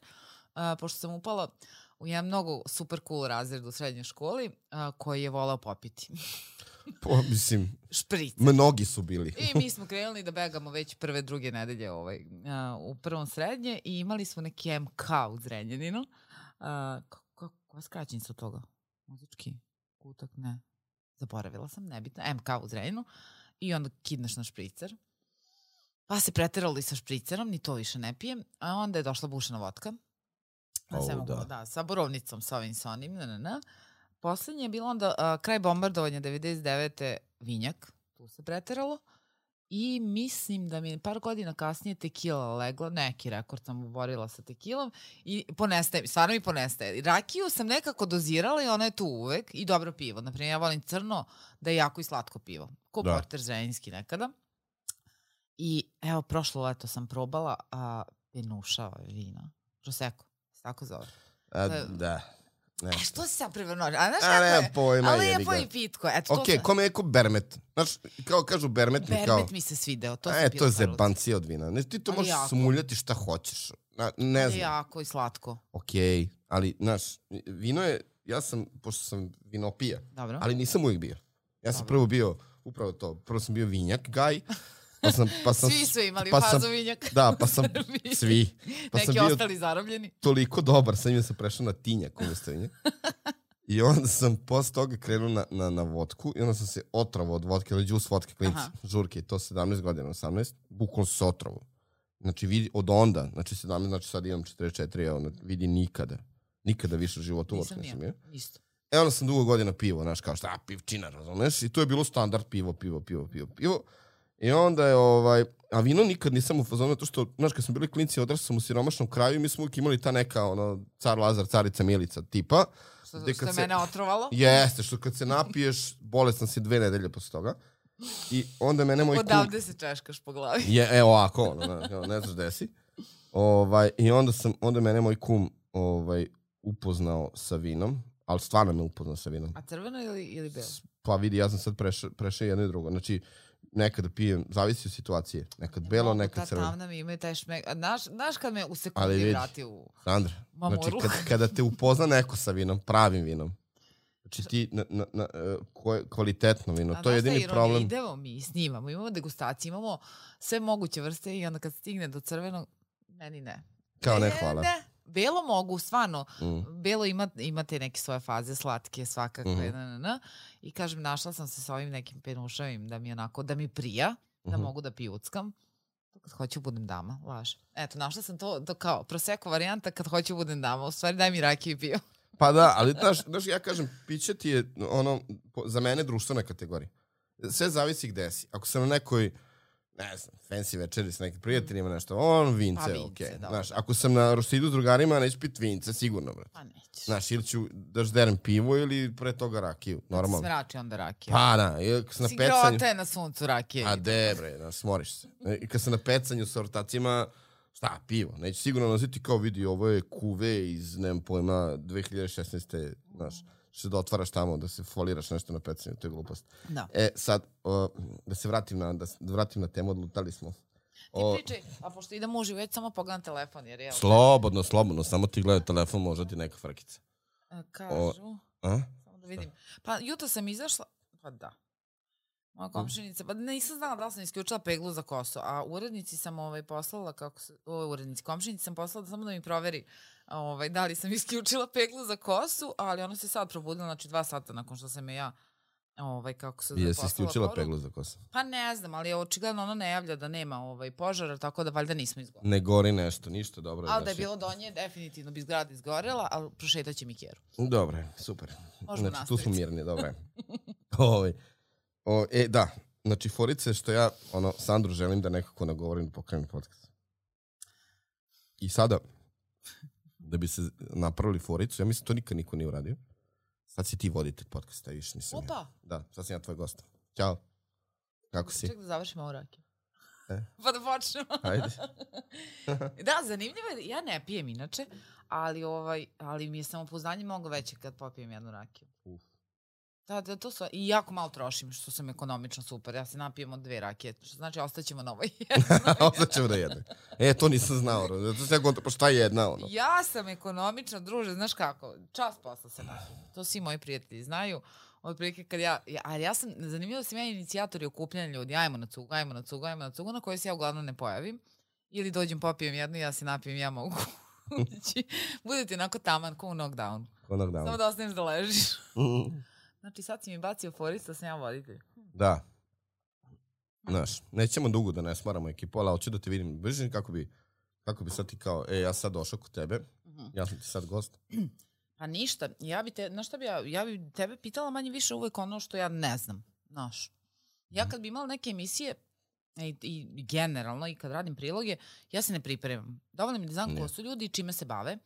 pošto sam upala u jedan mnogo super cool razred u srednjoj školi, koji je volao popiti. Mislim, špricer. Mnogi su bili. I mi smo krenuli da begamo već prve, druge nedelje u prvom srednje i imali smo neki MK u Zrenjaninu. Koja skraćenica od toga? Muzički kutak? Ne. Zaboravila sam, nebitno. MK u Zrenjaninu. I onda kidneš na špricer. Pa se preterali sa špricerom, ni to više ne pijem. A onda je došla bušena vodka. Sa borovnicom, sa ovim, sa onim. Poslednje je bilo onda kraj bombardovanja 99. vinjak. Tu se preteralo. I mislim da mi je par godina kasnije tekila legla. Neki rekord sam oborila sa tekilom. I ponestaje, stvarno mi ponestaje. Rakiju sam nekako dozirala i ona je tu uvek. I dobro pivo. Naprimjer, ja volim crno da je jako i slatko pivo. Ko porter zrenjinski nekada. I evo, prošlo leto sam probala penuša vina. Prosecco, tako zove. Da. Što si sad prevrnorio? A znaš kako je? Pojma, ali je po i pitko. Kome je ko bermet? Znaš, kao kažu bermet mi kao... Bermet mi se svideo, to sam pila. To je zebancija od vina. Ne, ti to možeš smuljati šta hoćeš. Ne znam. Ali jako i slatko. Okej, ali, znaš, vino je... Ja sam, pošto sam vinopija, ali nisam uvijek bio. Ja sam prvo bio, upravo to, prvo sam bio vinjak, gaj. Svi su imali fazu vinjak. Da, pa sam svi. Neki ostali zarobljeni. Toliko dobar, sam im sam prešao na tinjak umjesto vinjak. I onda sam posle toga krenuo na vodku i onda sam se otrovao od vodke, ali džus vodke, klinci, žurke, to 17 godina, 18, bukvalno se otrovao. Znači vidi od onda, znači 17, znači sad imam 44, vidi nikada više u životu vodku nisam imao. Isto. Onda sam dugo godina pivo, znaš, kao šta, pivčina, razumeš? I to je bilo standard pivo. I onda je, a vino nikad nisam u fazonu, to što, znaš, kad smo bili klinci, odrasli sam u siromašnom kraju i mi smo uvijek imali ta neka, car Lazar, carica Milica tipa. Što je mene otrovalo? Jeste, što kad se napiješ, bolestan si 2 nedelje posle toga. I onda mene moj kum... Odavde se češkaš po glavi. Evo ovako, ne znaš gde si. I onda mene moj kum upoznao sa vinom, ali stvarno me upoznao sa vinom. A crveno ili belo? Pa vidi, ja sam sad prešao jedno i drugo. Znači, nekada pijem, zavisi od situacije. Nekad belo, nekad crveno. Tamna mi imaju taj šmek. Znaš kad me u sekundi vrati u Sandra, znači kada te upozna neko sa vinom, pravim vinom, znači ti kvalitetno vino, to je jedini problem. Idemo mi, snimamo, imamo degustaciju, imamo sve moguće vrste i onda kad stigne do crvenog, meni ne. Kao ne, hvala. Ne. Belo mogu, stvarno. Belo imate neke svoje faze, slatke svakakve. I kažem, našla sam se sa ovim nekim penušavim da mi onako, da mi prija, da mogu da pijuckam. Kad hoću budem dama, laž. Eto, našla sam to kao prosecco varijanta kad hoću budem dama. U stvari daj mi rakiju i pivo. Pa da, ali znaš, ja kažem, piće ti je za mene društvena kategorija. Sve zavisi gde si. Ako sam na nekoj, ne znam, fancy večeri s nekim prijateljima, nešto, vince, okej. Znaš, ako sam na Rosidu s drugarima, neću piti vince, sigurno, brate. Pa nećeš. Znaš, ili ću da žderem pivo ili pre toga rakiju, normalno. Kad se mrači onda rakiju. Pa da, si grote na suncu rakije. A de, bre, smoriš se. I kad sam na pecanju sa ortacima, šta, pivo. Neću sigurno nositi kao vidi, ovo je kuve iz, nemam pojma, 2016. Znaš, što da otvaraš tamo, da se foliraš nešto na pecanju, to je glupost. Da. Sad, da se vratim na temu, odlutali smo. Ti pričaj, a pošto idem uživo, već samo pogledam telefon, jer je... Slobodno, samo ti gledaj telefon, možda ti neka frkica. Kažu, samo da vidim. Pa jutro sam izašla, pa da. Moja komšinica, pa nisam znala da li sam isključila peglu za kosu, a urednici sam poslala, komšinici sam poslala samo da mi proveri da li sam isključila peglu za kosu, ali ona se sad probudila, znači 2 sata nakon što sam je ja kako se zove, Jesi isključila peglu za kosu? Pa ne znam, ali očigledno ono ne javlja da nema požara, tako da valjda nismo izgoreli. Ne gori nešto, ništa, dobro. Ali da je bilo do nje, definitivno bi zgrada izgorela, ali prošetaće mi keru. Dobro, super. Možemo znači, tu smo nastaviti. mirni, dobro. Da, znači, forice što ja, Sandru želim da nekako nagovorim pokrenem podcast. I sada, da bi se napravili foricu, ja mislim to nikad niko nije uradio. Sad si ti voditelj podcasta, viš nisam. Opa! Da, sad sam ja tvoj gost. Ćao. Kako si? Ček da završimo ovu rakiju. Pa da počnemo. Ajde. Da, zanimljivo je, ja ne pijem inače, ali mi je samopouzdanje mnogo veće kad popijem jednu rakiju. Da, to su, i jako malo trošim, što sam ekonomično super. Ja se napijem od 2 rakije, što znači ostaćemo na ovoj jednoj. Ostaćemo na jednoj. To nisam znao. Pa šta je jedna, Ja sam ekonomična, druže, znaš kako, čas posla se napijem. To svi moji prijatelji znaju. Od prilike kad ali ja sam, zanimljivo da sam ja inicijator i okupljanja ljudi, ajmo na cugu, na kojoj se ja uglavnom ne pojavim. Ili dođem, popijem jednu i ja se napijem, ja mogu ući. Budete onako taman, ko u knockdownu. Samo da ostaneš da ležiš. Znači sad si mi bacio forist da sam ja voditelj. Da. Znaš, nećemo dugo da ne smaramo ekipu, ali hoću da te vidim bliže kako bi sad ti kao, ja sad došao kod tebe, ja sam ti sad gost. Pa ništa, ja bi tebe pitala manje više uvek ono što ja ne znam, znaš. Ja kad bi imala neke emisije, i generalno, i kad radim priloge, ja se ne pripremam. Dovoljno mi da znam ko su ljudi i čime se bave.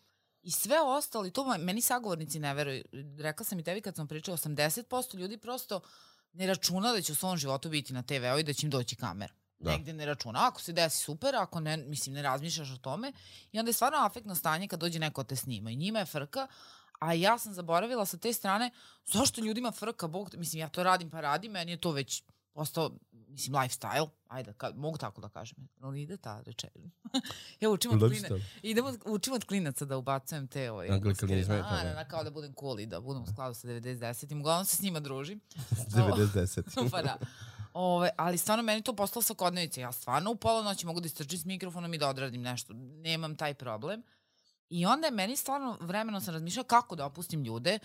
I sve ostalo, i to meni sagovornici ne veruju. Rekla sam i tebi kad sam pričala, 80% ljudi prosto ne računa da će u svom životu biti na TV-u i da će im doći kamera. Negde ne računa. Ako se desi super, ako ne, mislim, ne razmišljaš o tome. I onda je stvarno afektno stanje kad dođe neko te snima. I njima je frka, a ja sam zaboravila sa te strane, zašto ljudima frka, mislim, ja to radim pa radim, meni je to već postao, mislim, lifestyle, ajde, mogu tako da kažem, ali ide ta rečenja. Ja učim od klinaca da ubacujem te anglikalizme, kao da budem cool i da budem u skladu sa 90-10-im, uglavnom se s njima družim. 90-10. Pa da. Ali stvarno meni to postalo svakodnevica. Ja stvarno u pola noći mogu da istrčim s mikrofonom i da odradim nešto. Nemam taj problem. I onda je meni stvarno, vremenom sam razmišljala kako da opustim ljude.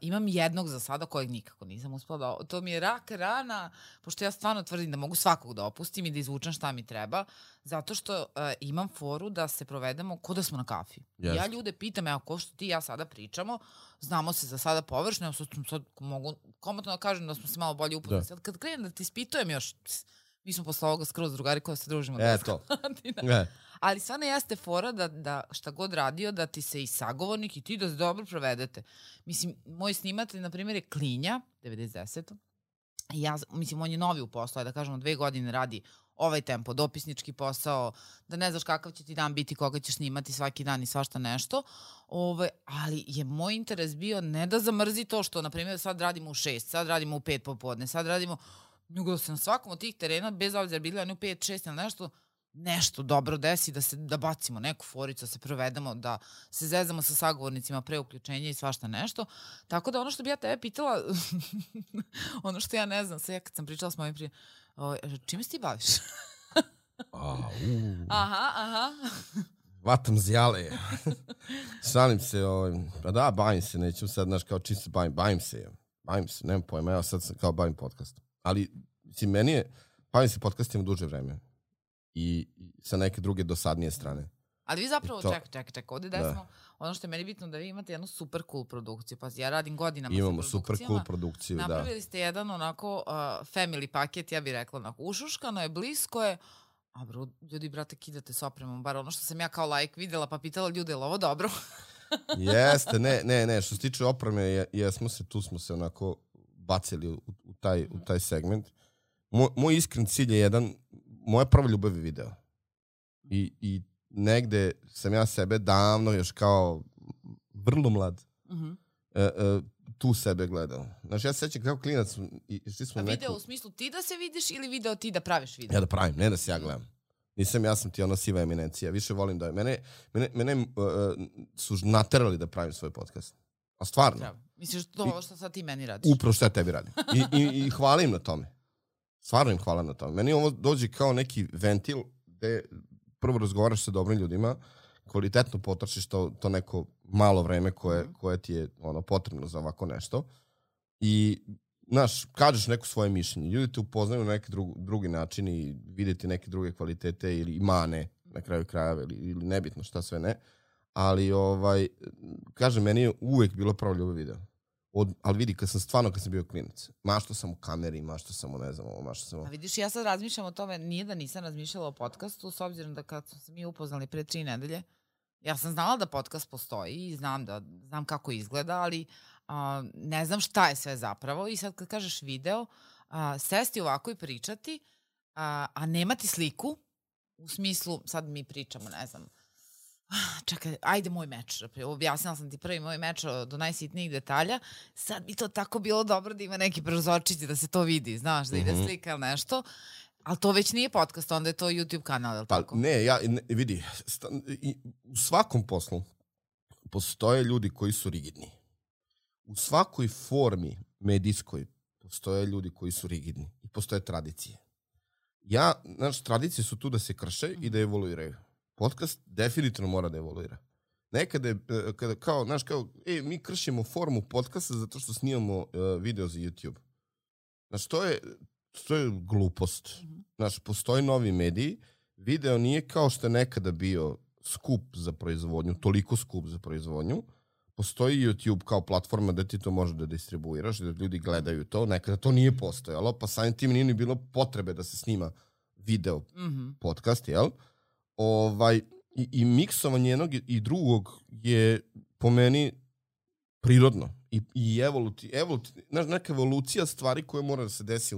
Imam jednog za sada kojeg nikako nisam uspela da... To mi je rak rana, pošto ja stvarno tvrdim da mogu svakog da opustim i da izvučem šta mi treba, zato što imam foru da se provedemo ko da smo na kafi. Yes. Ja ljude pitam, evo, ko što ti i ja sada pričamo, znamo se za sada površno, sad mogu komotno da kažem da smo se malo bolje upoznali. Sad kad krenem da ti ispitujem još... Mi smo posle ovoga skroz drugari koja se družimo. To. Ali stvarno jeste fora da šta god radio, da ti se i sagovornik i ti da se dobro provedete. Mislim, moj snimatelj, na primjer, je Klinja, 90. Mislim, on je novi u poslu, da kažemo 2 godine radi ovaj tempo, dopisnički posao, da ne znaš kakav će ti dan biti, koga ćeš snimati svaki dan i svašta nešto. Ali je moj interes bio ne da zamrzi to što, na primjer, sad radimo u 6, sad radimo u 5 popodne, sad radimo... Nego da se na svakom od tih terena, bez obzira bili oni u 5, 6 ili nešto dobro desi, da bacimo neku foricu, da se provedemo, da se zezamo sa sagovornicima pre uključenja i svašta nešto. Tako da ono što bi ja tebe pitala, ono što ja ne znam, sad ja kad sam pričala s mojim čime se ti baviš? Aha. Vatam zjale. Šalim se, pa da, bavim se, neću sad, znaš, kao čim se bavim se, nemam pojma, ja sad sam kao bavim podcastom. Ali, mislim, meni je, bavim se podcastima duže vreme. I sa neke druge dosadnije strane. Ali vi zapravo, čekaj, ovdje desmo, ono što je meni bitno da vi imate jednu super cool produkciju. Pa ja radim godinama sa produkcijama. Imamo super cool produkciju, da. Napravili ste jedan onako family paket, ja bih rekla onako, ušuškano je, blisko je, a bro, ljudi, brate, kidate s opremom, bar ono što sam ja kao like videla, pa pitala ljude, je li ovo dobro? Jeste, ne, što se tiče opreme, tu smo se onako bacili u taj segment. Moj iskren cilj je moja prva ljubav je video. I negde sam ja sebe davno, još kao vrlo mlad, tu sebe gledao. Znači, ja se sjećam kao klinac. A video u smislu ti da se vidiš ili video ti da praviš video? Ja da pravim, ne da se ja gledam. Ja sam ti siva eminencija. Više volim da... Mene su naterali da pravim svoj podcast. A stvarno. Misliš to što sad ti meni radiš? Upravo što ja tebi radim. I hvala im na tome. Stvarno im hvala na tome. Meni ovo dođe kao neki ventil gde prvo razgovaraš sa dobrim ljudima, kvalitetno potrošiš to neko malo vreme koje ti je potrebno za ovako nešto. I znaš, kažeš neko svoje mišljenje, ljudi te upoznaju na neki drugi način i videti neke druge kvalitete ili mane na kraju krajeva ili nebitno šta sve ne. Ali, kažem, meni je uvek bilo pravo ljubav video. Ali vidi, kad sam bio klinac, mašto sam u kameri, mašto sam u, ne znam, mašto sam u... A vidiš, ja sad razmišljam o tome, nije da nisam razmišljala o podcastu, s obzirom da kad smo se mi upoznali pre 3 nedelje, ja sam znala da podcast postoji i znam kako izgleda, ali ne znam šta je sve zapravo. I sad kad kažeš video, sesti ovako i pričati, a nemati sliku, u smislu, sad mi pričamo, ne znam, čekaj, ajde moj meč. Objasnila sam ti prvi moj meč do najsitnijih detalja. Sad bi to tako bilo dobro da ima neki prozorčići da se to vidi, znaš, da ide slika ili nešto. Ali to već nije podcast, onda je to YouTube kanal, je li tako? Vidi, u svakom poslu postoje ljudi koji su rigidni. U svakoj formi medijskoj postoje ljudi koji su rigidni i postoje tradicije. Tradicije su tu da se krše i da evoluiraju. Podcast definitivno mora da evoluira. Nekada je, mi kršimo formu podcasta zato što snimamo video za YouTube. Znaš, to je glupost. Znaš, postoji novi mediji, video nije kao što je nekada bio skup za proizvodnju, toliko skup za proizvodnju. Postoji YouTube kao platforma da ti to može da distribuiraš, da ljudi gledaju to. Nekada to nije postojalo, pa samim tim nije ni bilo potrebe da se snima video podcast, jel? I miksovanje jednog i drugog je po meni prirodno i neka evolucija stvari koje mora da se desi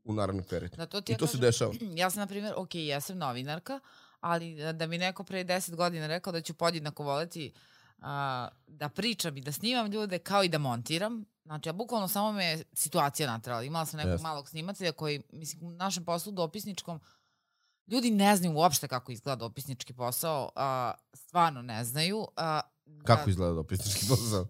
u narednom periodu. I to se dešava. Ja sam, na primjer, ja sam novinarka, ali da mi neko pre 10 godina rekao da ću podjednako voleti da pričam i da snimam ljude kao i da montiram. Znači, ja bukvalno samo me je situacija natrala. Imala sam nekog malog snimatelja koji, mislim, u našem poslu dopisničkom ljudi ne znaju uopšte kako izgleda dopisnički posao, stvarno ne znaju. Kako izgleda dopisnički posao?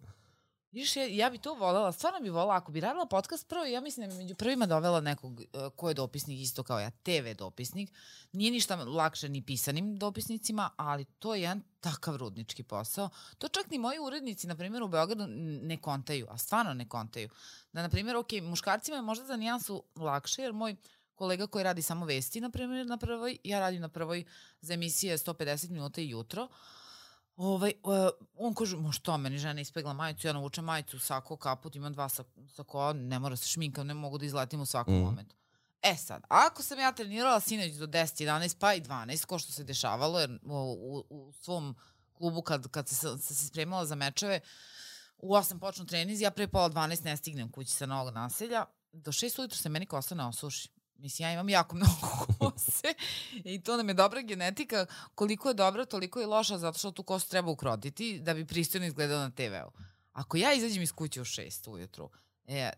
Viš, ja bi to voljela, stvarno bi voljela, ako bi radila podcast prvo, ja mislim da bi među prvima dovela nekog ko je dopisnik isto kao ja, TV dopisnik. Nije ništa lakše ni pisanim dopisnicima, ali to je jedan takav rudnički posao. To čak ni moji urednici, na primjer, u Beogradu ne kontaju, a stvarno ne kontaju. Da, na primjer, muškarcima je možda za nijansu lakše, jer moj kolega koji radi samo vesti, na primjer, na prvoj, ja radim na prvoj za emisije 150 minuta i jutro, on kaže, što meni žena ispegla majicu, ja navučem majicu, sako, kaput, imam 2 sakoa, ne mora se šminkam, ne mogu da izletim u svakom momentu. Sad, ako sam ja trenirala sinoć do 10, 11, pa i 12, ko što se dešavalo, jer u svom klubu kad se spremala za mečeve, u 8 počnu treniz, ja pre pola 12 ne stignem kući sa Novog Naselja, do 6 ujutro se meni kosa ne osuši. Mislim, ja imam jako mnogo kose i to nam je dobra genetika. Koliko je dobra, toliko je loša, zato što tu kosu treba ukrotiti da bi pristojno izgledao na TV-u. Ako ja izađem iz kuće u 6 ujutru,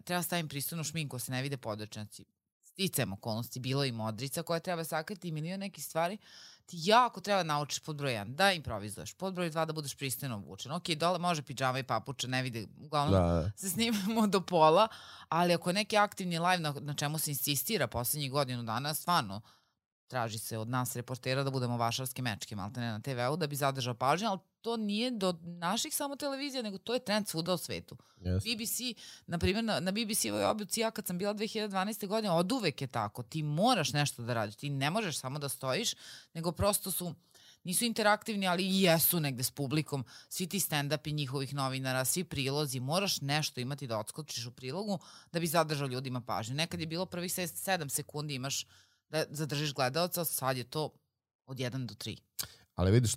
treba stavim pristojnu šminku, se ne vide podrčnjaci. Sticajem okolnosti, bilo i modrica koja treba sakriti i milion nekih stvari. Ti jako treba naučiš pod broj 1 da improvizuješ, pod broj 2 da budeš pristojno obučen. Ok, dole može pidžama i papuče, ne vide, uglavnom se snimamo do pola, ali ako je neki aktivni live na čemu se insistira poslednjih godinu dana, stvarno traži se od nas reportera da budemo vašarske mečke, malte ne na TV-u, da bi zadržao pažnju, ali to nije do naših samo televizija, nego to je trend svuda u svetu. BBC, na primjer, na BBC-ovoj obuci, ja kad sam bila 2012. godine, od uvek je tako. Ti moraš nešto da radiš, ti ne možeš samo da stojiš, nego prosto nisu interaktivni, ali i jesu negde s publikom. Svi ti stand-upi njihovih novinara, svi prilozi, moraš nešto imati da odskočiš u prilogu da bi zadržao ljudima pažnju. Nekad je bilo prvih 7 sekundi imaš da zadržiš gledalca, sad je to od 1 do 3. Ali vidiš,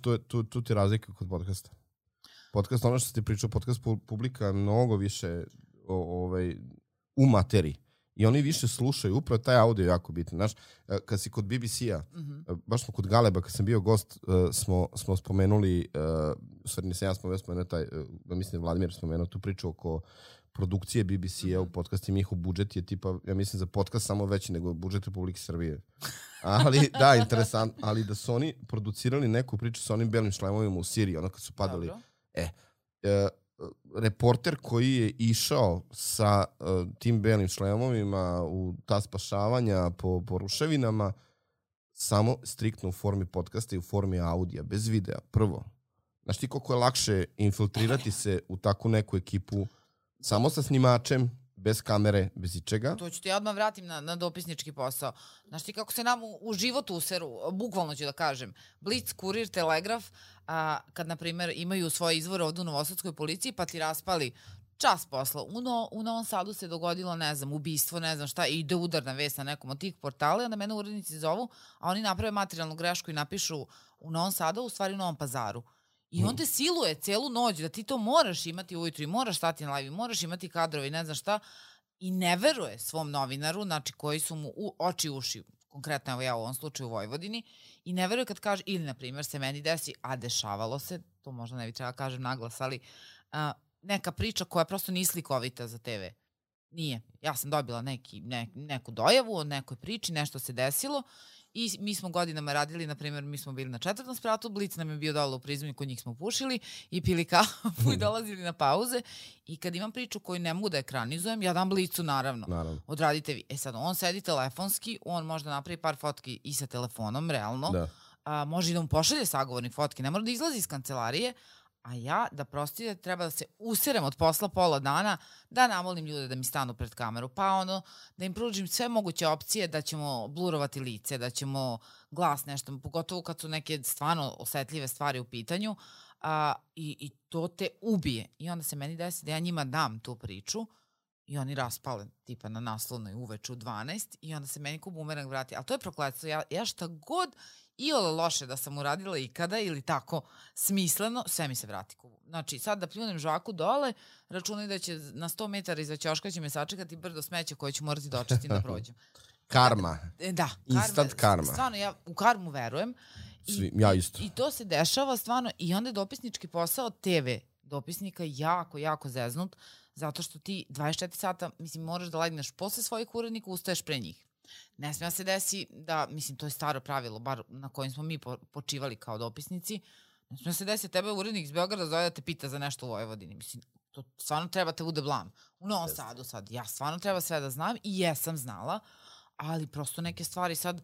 tu ti razlika kod podcasta. Podcast, ono što ti pričao, podcast publika je mnogo više u materiji. I oni više slušaju, upravo taj audio je jako bitan. Znaš, kad si kod BBC-a, baš smo kod Galeba, kad sam bio gost, smo spomenuli, u stvari nisam ja spomenuo mislim Vladimir spomenuo tu priču oko produkcije BBC-a u podcastima, njihov budžet je tipa, ja mislim za podcast samo veći nego budžet Republike Srbije. Ali, da, interesant, ali da su oni producirali neku priču sa onim belim šlemovima u Siriji, ono kad su padali. Reporter koji je išao sa tim belim šlemovima u ta spašavanja po ruševinama, samo striktno u formi podcasta i u formi audija, bez videa, prvo. Znaš ti koliko je lakše infiltrirati se u takvu neku ekipu samo sa snimačem, bez kamere, bez ičega. To ću ti ja odmah vratim na dopisnički posao. Znaš ti kako se nam u životu useru, bukvalno ću da kažem, Blic, Kurir, Telegraf, kad, na primjer, imaju svoje izvore ovdje u Novosadskoj policiji, pa ti raspali čas posla. U Novom Sadu se dogodilo, ne znam, ubistvo, ne znam šta, i ide udarna vest na nekom od tih portala i onda mene urednici zovu, a oni naprave materijalnu grešku i napišu u Novom Sadu, u stvari u Novom Pazaru. I on te siluje celu noć da ti to moraš imati ujutru i moraš stati na live i moraš imati kadrove i ne znam šta, i ne veruje svom novinaru, znači koji su mu oči uši, konkretno evo ja u ovom slučaju u Vojvodini, i ne veruje kad kaže, ili na primjer se meni desi, a dešavalo se, to možda ne bi trebala kažem naglas, ali neka priča koja prosto nije slikovita za TV. Nije. Ja sam dobila neku dojavu o nekoj priči, nešto se desilo i mi smo godinama radili, na primjer, mi smo bili na 4. spratu, Blic nam je bio dole u Prizmu, kod njih smo pušili i pili kafu i dolazili na pauze i kad imam priču koju ne mogu da ekranizujem, ja dam Blicu naravno. Odradite vi. Sad, on sedi telefonski, on možda napravi par fotki i sa telefonom, realno. Da. Može i da mu pošalje sagovornik fotke, ne mora da izlazi iz kancelarije, a ja, da prostite, treba da se userem od posla pola dana, da namolim ljude da mi stanu pred kameru, pa da im pružim sve moguće opcije da ćemo blurovati lice, da ćemo glas nešto, pogotovo kad su neke stvarno osetljive stvari u pitanju, i to te ubije. I onda se meni desi da ja njima dam tu priču i oni raspale tipa na naslovnoj uveče u 12 i onda se meni ko bumerang vrati. Ali to je prokletstvo. Ja šta god iole loše da sam uradila ikada ili tako smisleno, sve mi se vrati. Znači, sad da pljunem žvaku dole, računaj da će na 100 metara iza ćoška će me sačekati brdo smeća koje ću morati dočistiti da prođem. Karma. Da. Instant karma. Stvarno, ja u karmu verujem. Ja isto. I to se dešava stvarno i onda je dopisnički posao TV dopisnika jako, jako zeznut, zato što ti 24 sata, mislim, moraš da legneš posle svojih urednika, ustaješ pre njih. Ne smije se desi da, mislim, to je staro pravilo, bar na kojim smo mi počivali kao dopisnici, ne smije se desi tebe urednik iz Beograda zove da te pita za nešto u Vojvodini. Mislim, to stvarno treba te bude blam. U Novom Sadu sad, ja stvarno treba sve da znam i jesam znala, ali prosto neke stvari sad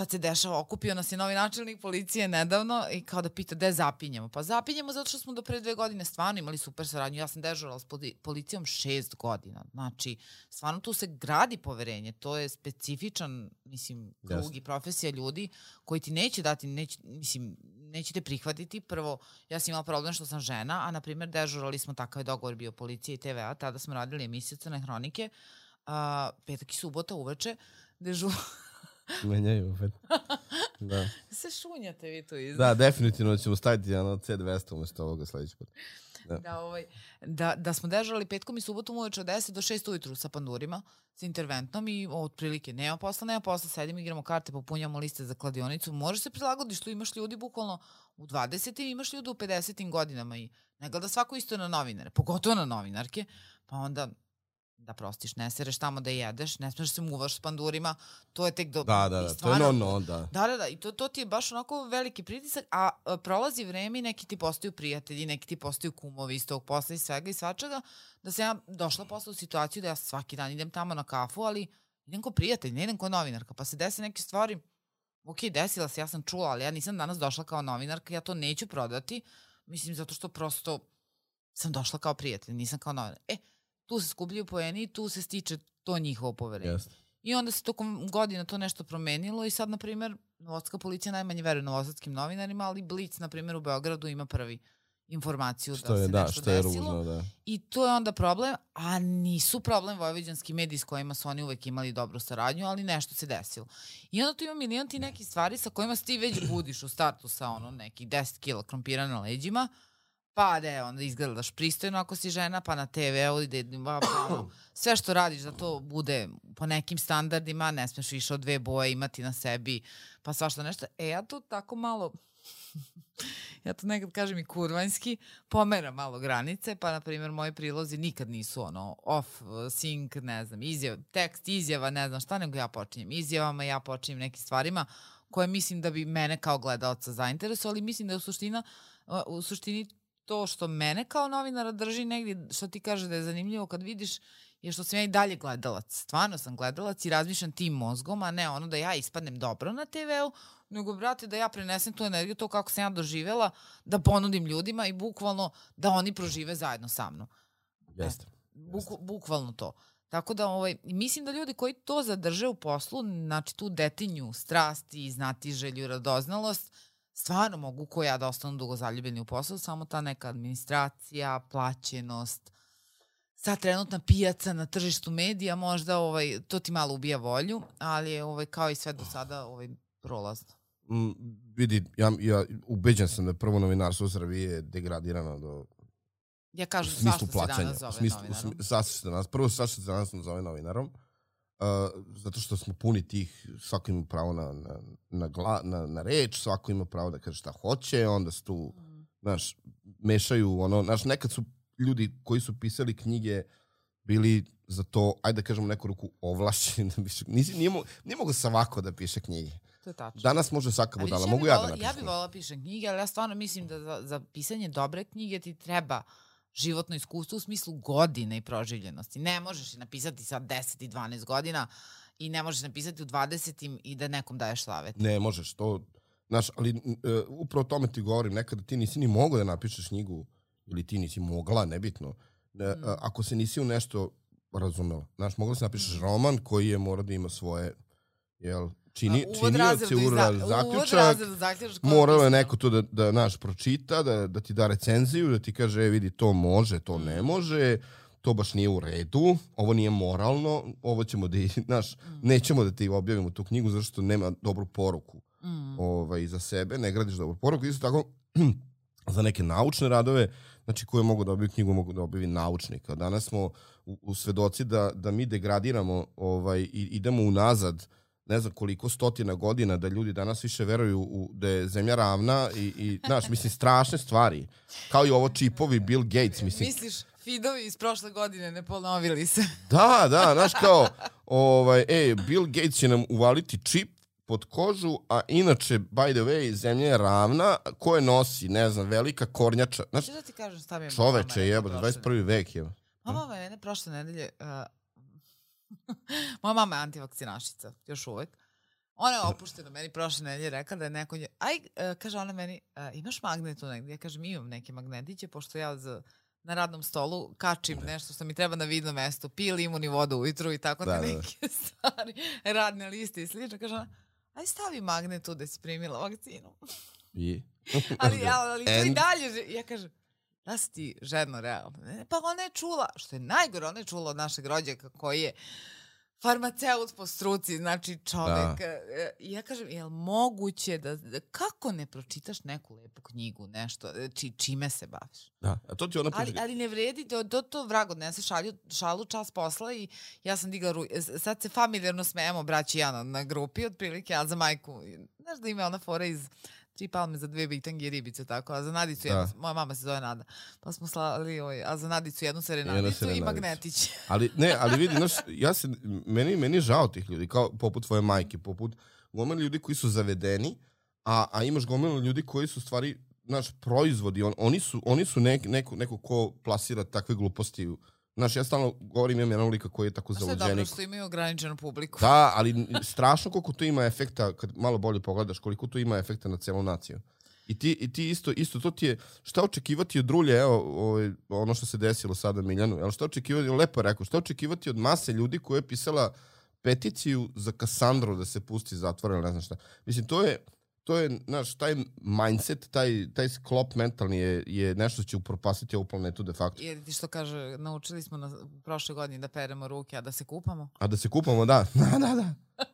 se dešava, okupio nas je novi načelnik policije nedavno i kao da pita gde zapinjemo. Pa zapinjemo zato što smo do pre 2 godine stvarno imali super saradnju. Ja sam dežurala s policijom 6 godina. Znači, stvarno tu se gradi poverenje. To je specifičan, mislim, krug i profesija ljudi koji ti neće dati, neće te prihvatiti. Prvo, ja sam imala problem što sam žena, a na primjer dežurali smo, takav je dogovor bio policije i TV-a, tada smo radili emisiju Crne hronike, petak i subota uveče, menjaju opet. Da. Se šunjate vi tu iza. Da, definitivno ćemo staviti C200 umjesto ovoga sledeći put. Da smo dežurali petkom i subotom uveče od 10 do 6 ujutru sa pandurima, sa interventnom i otprilike nema posla, sedimo, igramo karte, popunjamo liste za kladionicu, možeš se prilagodiš, tu imaš ljudi bukvalno u 20. imaš ljudi u 50. godinama i ne gleda svako isto na novinare, pogotovo na novinarke, pa onda da prostiš, ne sereš tamo da jedeš, ne smiješ se muvaš s pandurima, to je tek do... Da, to je da. Da, i to ti je baš onako veliki pritisak, a prolazi vreme i neki ti postaju prijatelji, neki ti postaju kumovi iz tog posla i svega i svačega, da sam ja došla posle u situaciju da ja svaki dan idem tamo na kafu, ali idem ko prijatelj, ne idem ko novinarka, pa se desi neke stvari, ok, desila se, ja sam čula, ali ja nisam danas došla kao novinarka, ja to neću prodati, mislim, zato što prosto sam došla kao prijatelj, nisam kao novinar. Tu se skupljaju poeni i tu se stiče to njihovo poverenje. I onda se tokom godina to nešto promenilo i sad, na primjer, Novosadska policija najmanje veruje novosadskim novinarima, ali Blic, na primjer, u Beogradu ima prvi informaciju da se nešto desilo. I to je onda problem, a nisu problem vojvođanski mediji s kojima su oni uvek imali dobru saradnju, ali nešto se desilo. I onda tu ima milion ti nekih stvari sa kojima se ti već budiš u startu sa nekih 10 kila krompira na leđima, pa da onda izgledaš pristojno ako si žena, pa na TV-u sve što radiš da to bude po nekim standardima, ne smeš više od 2 boje imati na sebi, pa svašta nešto. Ja tu tako malo, ja to nekad kažem i kurvanjski, pomeram malo granice, pa na primjer moji prilozi nikad nisu off, sync, ne znam, tekst, izjava, ne znam šta, nego ja počinjem izjavama, ja počinjem nekim stvarima koje mislim da bi mene kao gledalca zainteresovali, ali mislim da je u suštini to što mene kao novinara drži negdje, što ti kaže da je zanimljivo kad vidiš, je što sam ja i dalje gledalac. Stvarno sam gledalac i razmišljam tim mozgom, a ne da ja ispadnem dobro na TV-u, nego, brate, da ja prenesem tu energiju, to kako sam ja doživjela, da ponudim ljudima i bukvalno da oni prožive zajedno sa mnom. Jeste. Bukvalno to. Tako da mislim da ljudi koji to zadrže u poslu, znači tu detinju, strasti, znatiželju, radoznalost, stvarno mogu ko ja da ostanu dugo zaljubljeni u poslu, samo ta neka administracija, plaćenost, sad trenutna pijaca na tržištu medija, možda to ti malo ubija volju, ali je kao i sve do sada prolazno. Vidi, ja ubeđen sam da prvo novinarstvo u Srbiji je degradirano do ja kažem, svašta se danas zove novinarom. Prvo svašta se danas zove novinarom, zato što smo puni tih, svako ima pravo na reč, svako ima pravo da kaže šta hoće, onda se tu, znaš, mešaju, znaš, nekad su ljudi koji su pisali knjige bili za to, ajde da kažemo neku ruku ovlašćeni da piše. Nije mogo svako da piše knjige. To je tačno. Danas može svaka budala, mogu ja da napišem. Ja bih volila pišem knjige, ali ja stvarno mislim da za pisanje dobre knjige ti treba životno iskustvo u smislu godine i proživljenosti. Ne možeš napisati sad 10 i 12 godina i ne možeš napisati u 20 i da nekom daješ savet. Ne možeš, to, znaš, ali upravo o tome ti govorim, nekada ti nisi ni mogao da napišeš knjigu ili ti nisi mogla, nebitno. Ako se nisi u nešto razumela. Znaš, mogla se napišeš roman koji je mora da ima svoje, činioci, zaključak, moralo je neko to da naš pročita, da ti da recenziju, da ti kaže, vidi, to može, to ne može, to baš nije u redu, ovo nije moralno, ovo ćemo da, znaš, nećemo da ti objavimo tu knjigu, zato što nema dobru poruku za sebe, ne gradiš dobru poruku. Isto tako, za neke naučne radove, znači koje mogu da objaviti knjigu, mogu da objavi naučnika. Danas smo u svedoci da mi degradiramo i idemo unazad, ne znam koliko stotina godina, da ljudi danas više veruju da je zemlja ravna i znaš, mislim, strašne stvari. Kao i ovo čipovi Bill Gates, mislim. Misliš, feedovi iz prošle godine ne ponovili se? Da, znaš kao, Bill Gates će nam uvaliti čip pod kožu, a inače, by the way, zemlja je ravna, ko je nosi, ne znam, velika kornjača. Znaš, da ti kažem šta mi je čoveče, jebote, 21. vek je. Mama je prošle nedelje... Moja mama je antivakcinašica, još uvek. Ona je opuštena meni prošle nedelje rekla da je neko... kaže ona meni, imaš magnet tu negdje? Ja kažem, imam neke magnetiće, pošto ja na radnom stolu kačim nešto što mi treba na vidnom mestu, pije limun i vodu ujutru i tako neke stvari, radne liste i slično. Kaže ona, aj stavi magnet tu da si primila vakcinu. ali to i dalje... Ja kažem, da si ti žedno realno. Pa ona je čula, što je najgore, ona je čula od našeg rođaka koji je farmaceut po struci, znači čovek. I ja kažem, je li moguće kako ne pročitaš neku lepu knjigu, nešto, čime se baviš? Da, a to ti ona priča. Ali ne vredi, to vrag odnese šalu čas posla i ja sam digla sad se familijarno smejemo, braći ja na grupi, otprilike, a za majku, znaš da ima ona fora iz 3 palme za 2 bitange i ribice, tako, a za Nadicu moja mama se zove Nada, pa smo slali, a za Nadicu jednu serenadicu i magnetić. ali vidi, znaš, meni je žao tih ljudi, kao poput tvoje majke, poput gomila ljudi koji su zavedeni, a imaš gomila ljudi koji su stvari, znaš, proizvodi, oni su neko ko plasira takve gluposti. Znaš, ja stalno govorim, imam jedan lika koji je tako zaluđenik. Sve dobro što imaju ograničenu publiku. Da, ali strašno koliko to ima efekta, kad malo bolje pogledaš, koliko to ima efekta na celu naciju. I ti isto, to ti je, šta očekivati od Rulje, evo, ono što se desilo sada Miljanu, šta očekivati, lepo rekao, šta očekivati od mase ljudi koja je pisala peticiju za Kasandru da se pusti zatvora ili ne znam šta. Mislim, to je, znaš, taj mindset, taj sklop mentalni je nešto što će upropastiti ovu planetu de facto. Jer ti što kaže, naučili smo prošle godine da peremo ruke, a da se kupamo? A da se kupamo, da.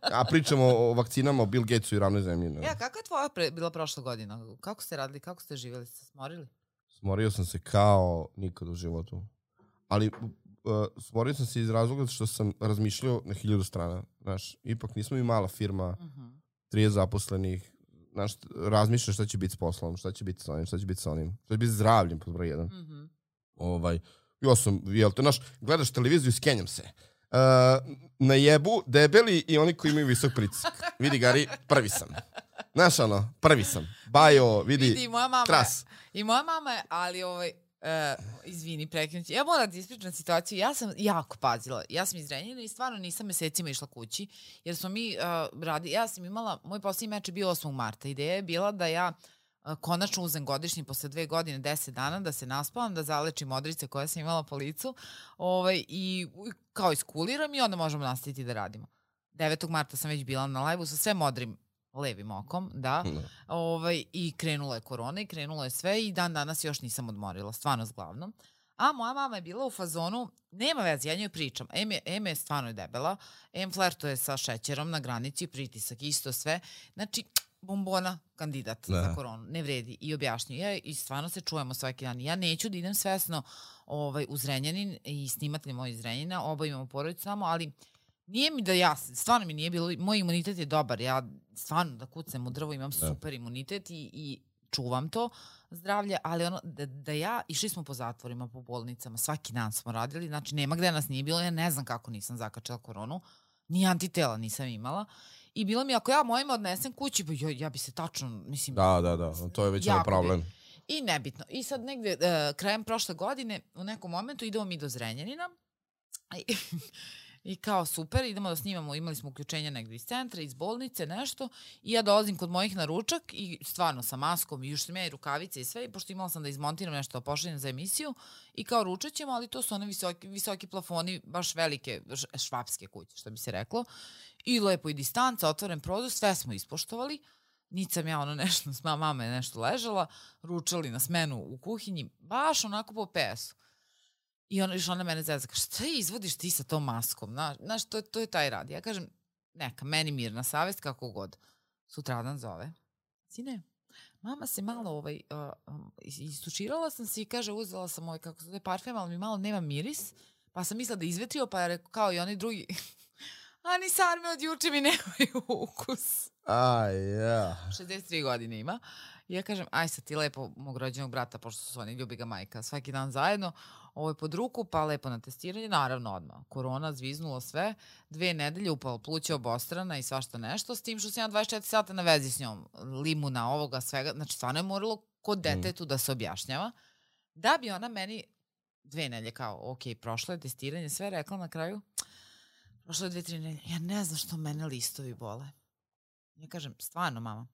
A pričamo o vakcinama, o Bill Gatesu i ravnoj zemlji. Ja, kako je tvoja bila prošla godina? Kako ste radili, kako ste živjeli? Ste smorili? Smorio sam se kao nikad u životu. Ali smorio sam se iz razloga što sam razmišljao na 1000 strana. Znaš, ipak nismo mi mala firma, 30 zaposlenih. Znaš, razmišljaš šta će biti s poslom, šta će biti s onim, šta će biti s onim. Šta će biti zdravljem, pod broj 1. Ja sam, znaš, gledaš televiziju i skenjam se. Na jebu, debeli i oni koji imaju visok pritisak. Vidi, Gari, prvi sam. Znaš, prvi sam. Bajo, vidi tras. I moja mama je, ali izvini, prekinući. Ja moram da ispričam situaciju. Ja sam jako pazila. Ja sam iz Renjanina i stvarno nisam mesecima išla kući, jer smo mi ja sam imala, moj posljednji meč je bio 8. marta. Ideja je bila da ja konačno uzem godišnji posle 2 godine, 10 dana, da se naspavam, da zalečim modrice koje sam imala po licu i kao iskuliram i onda možemo nastaviti da radimo. 9. marta sam već bila na live-u sa sve modrim levim okom, da. I krenula je korona i krenulo je sve i dan danas još nisam odmorila, stvarno zglavnom. A moja mama je bila u fazonu, nema veze, ja njoj pričam, em je stvarno debela, em flertuje sa šećerom na granici, pritisak, isto sve. Znači, bombona kandidat za koronu, ne vredi. I objašnju. I stvarno se čujemo svaki dan. Ja neću da idem svesno u Zrenjanin i snimatelj moj iz Zrenjanina, oba imamo porodicu samo, ali nije mi da stvarno mi nije bilo, moj imunitet je dobar, ja stvarno da kucnem u drvo, imam super imunitet i čuvam to zdravlje, ali ono, da ja, išli smo po zatvorima, po bolnicama, svaki dan smo radili, znači nema gde nas nije bilo, ja ne znam kako nisam zakačila koronu, ni antitela nisam imala. I bilo mi, ako ja mojima odnesem kući, ja bi se tačno, mislim... Da, to je već problem. I nebitno. I sad negde, krajem prošle godine, u nekom momentu idemo mi do Zrenjanina i kao super, idemo da snimamo, imali smo uključenja negde iz centra, iz bolnice, nešto, i ja dolazim kod mojih na ručak i stvarno sa maskom, i još sam ja i rukavice i sve, i pošto imala sam da izmontiram nešto, pošaljem za emisiju, i kao ručat ćemo, ali to su one visoki plafoni, baš velike, švapske kuće, što bi se reklo, i lepo i distanca, otvoren prozor, sve smo ispoštovali, niti sam ja nešto, mama je nešto ležala, ručali na smenu u kuhinji, baš onako po PS-u. I ona mene zezaka, šta izvodiš ti sa tom maskom? Znaš, to je taj rad. Ja kažem, neka, meni mirna savest, kako god. Sutradan zove. Sine, mama se malo istučirala sam se i kaže, uzela sam kako se zove parfem, ali mi malo nema miris, pa sam mislila da izvetrio, pa je rekao, kao i oni drugi, a ni sarme od juče mi nemaju ukus. 63 godine ima. I ja kažem, aj sad ti lepo mog rođenog brata, pošto su oni, ljubi ga majka, svaki dan zajedno, ovo je pod ruku, pa lepo na testiranje, naravno odmah. Korona, zviznulo sve, 2 nedelje upalo pluće obostrana i svašta nešto, s tim što sam ja 24 sata na vezi s njom, limuna, ovoga, svega, znači stvarno je moralo kod detetu da se objašnjava, da bi ona meni 2 nedelje kao, ok, prošlo je testiranje, sve rekla na kraju, prošlo je 2-3 nedelje, ja ne znam što mene listovi bole. Ja kažem, stvarno mama,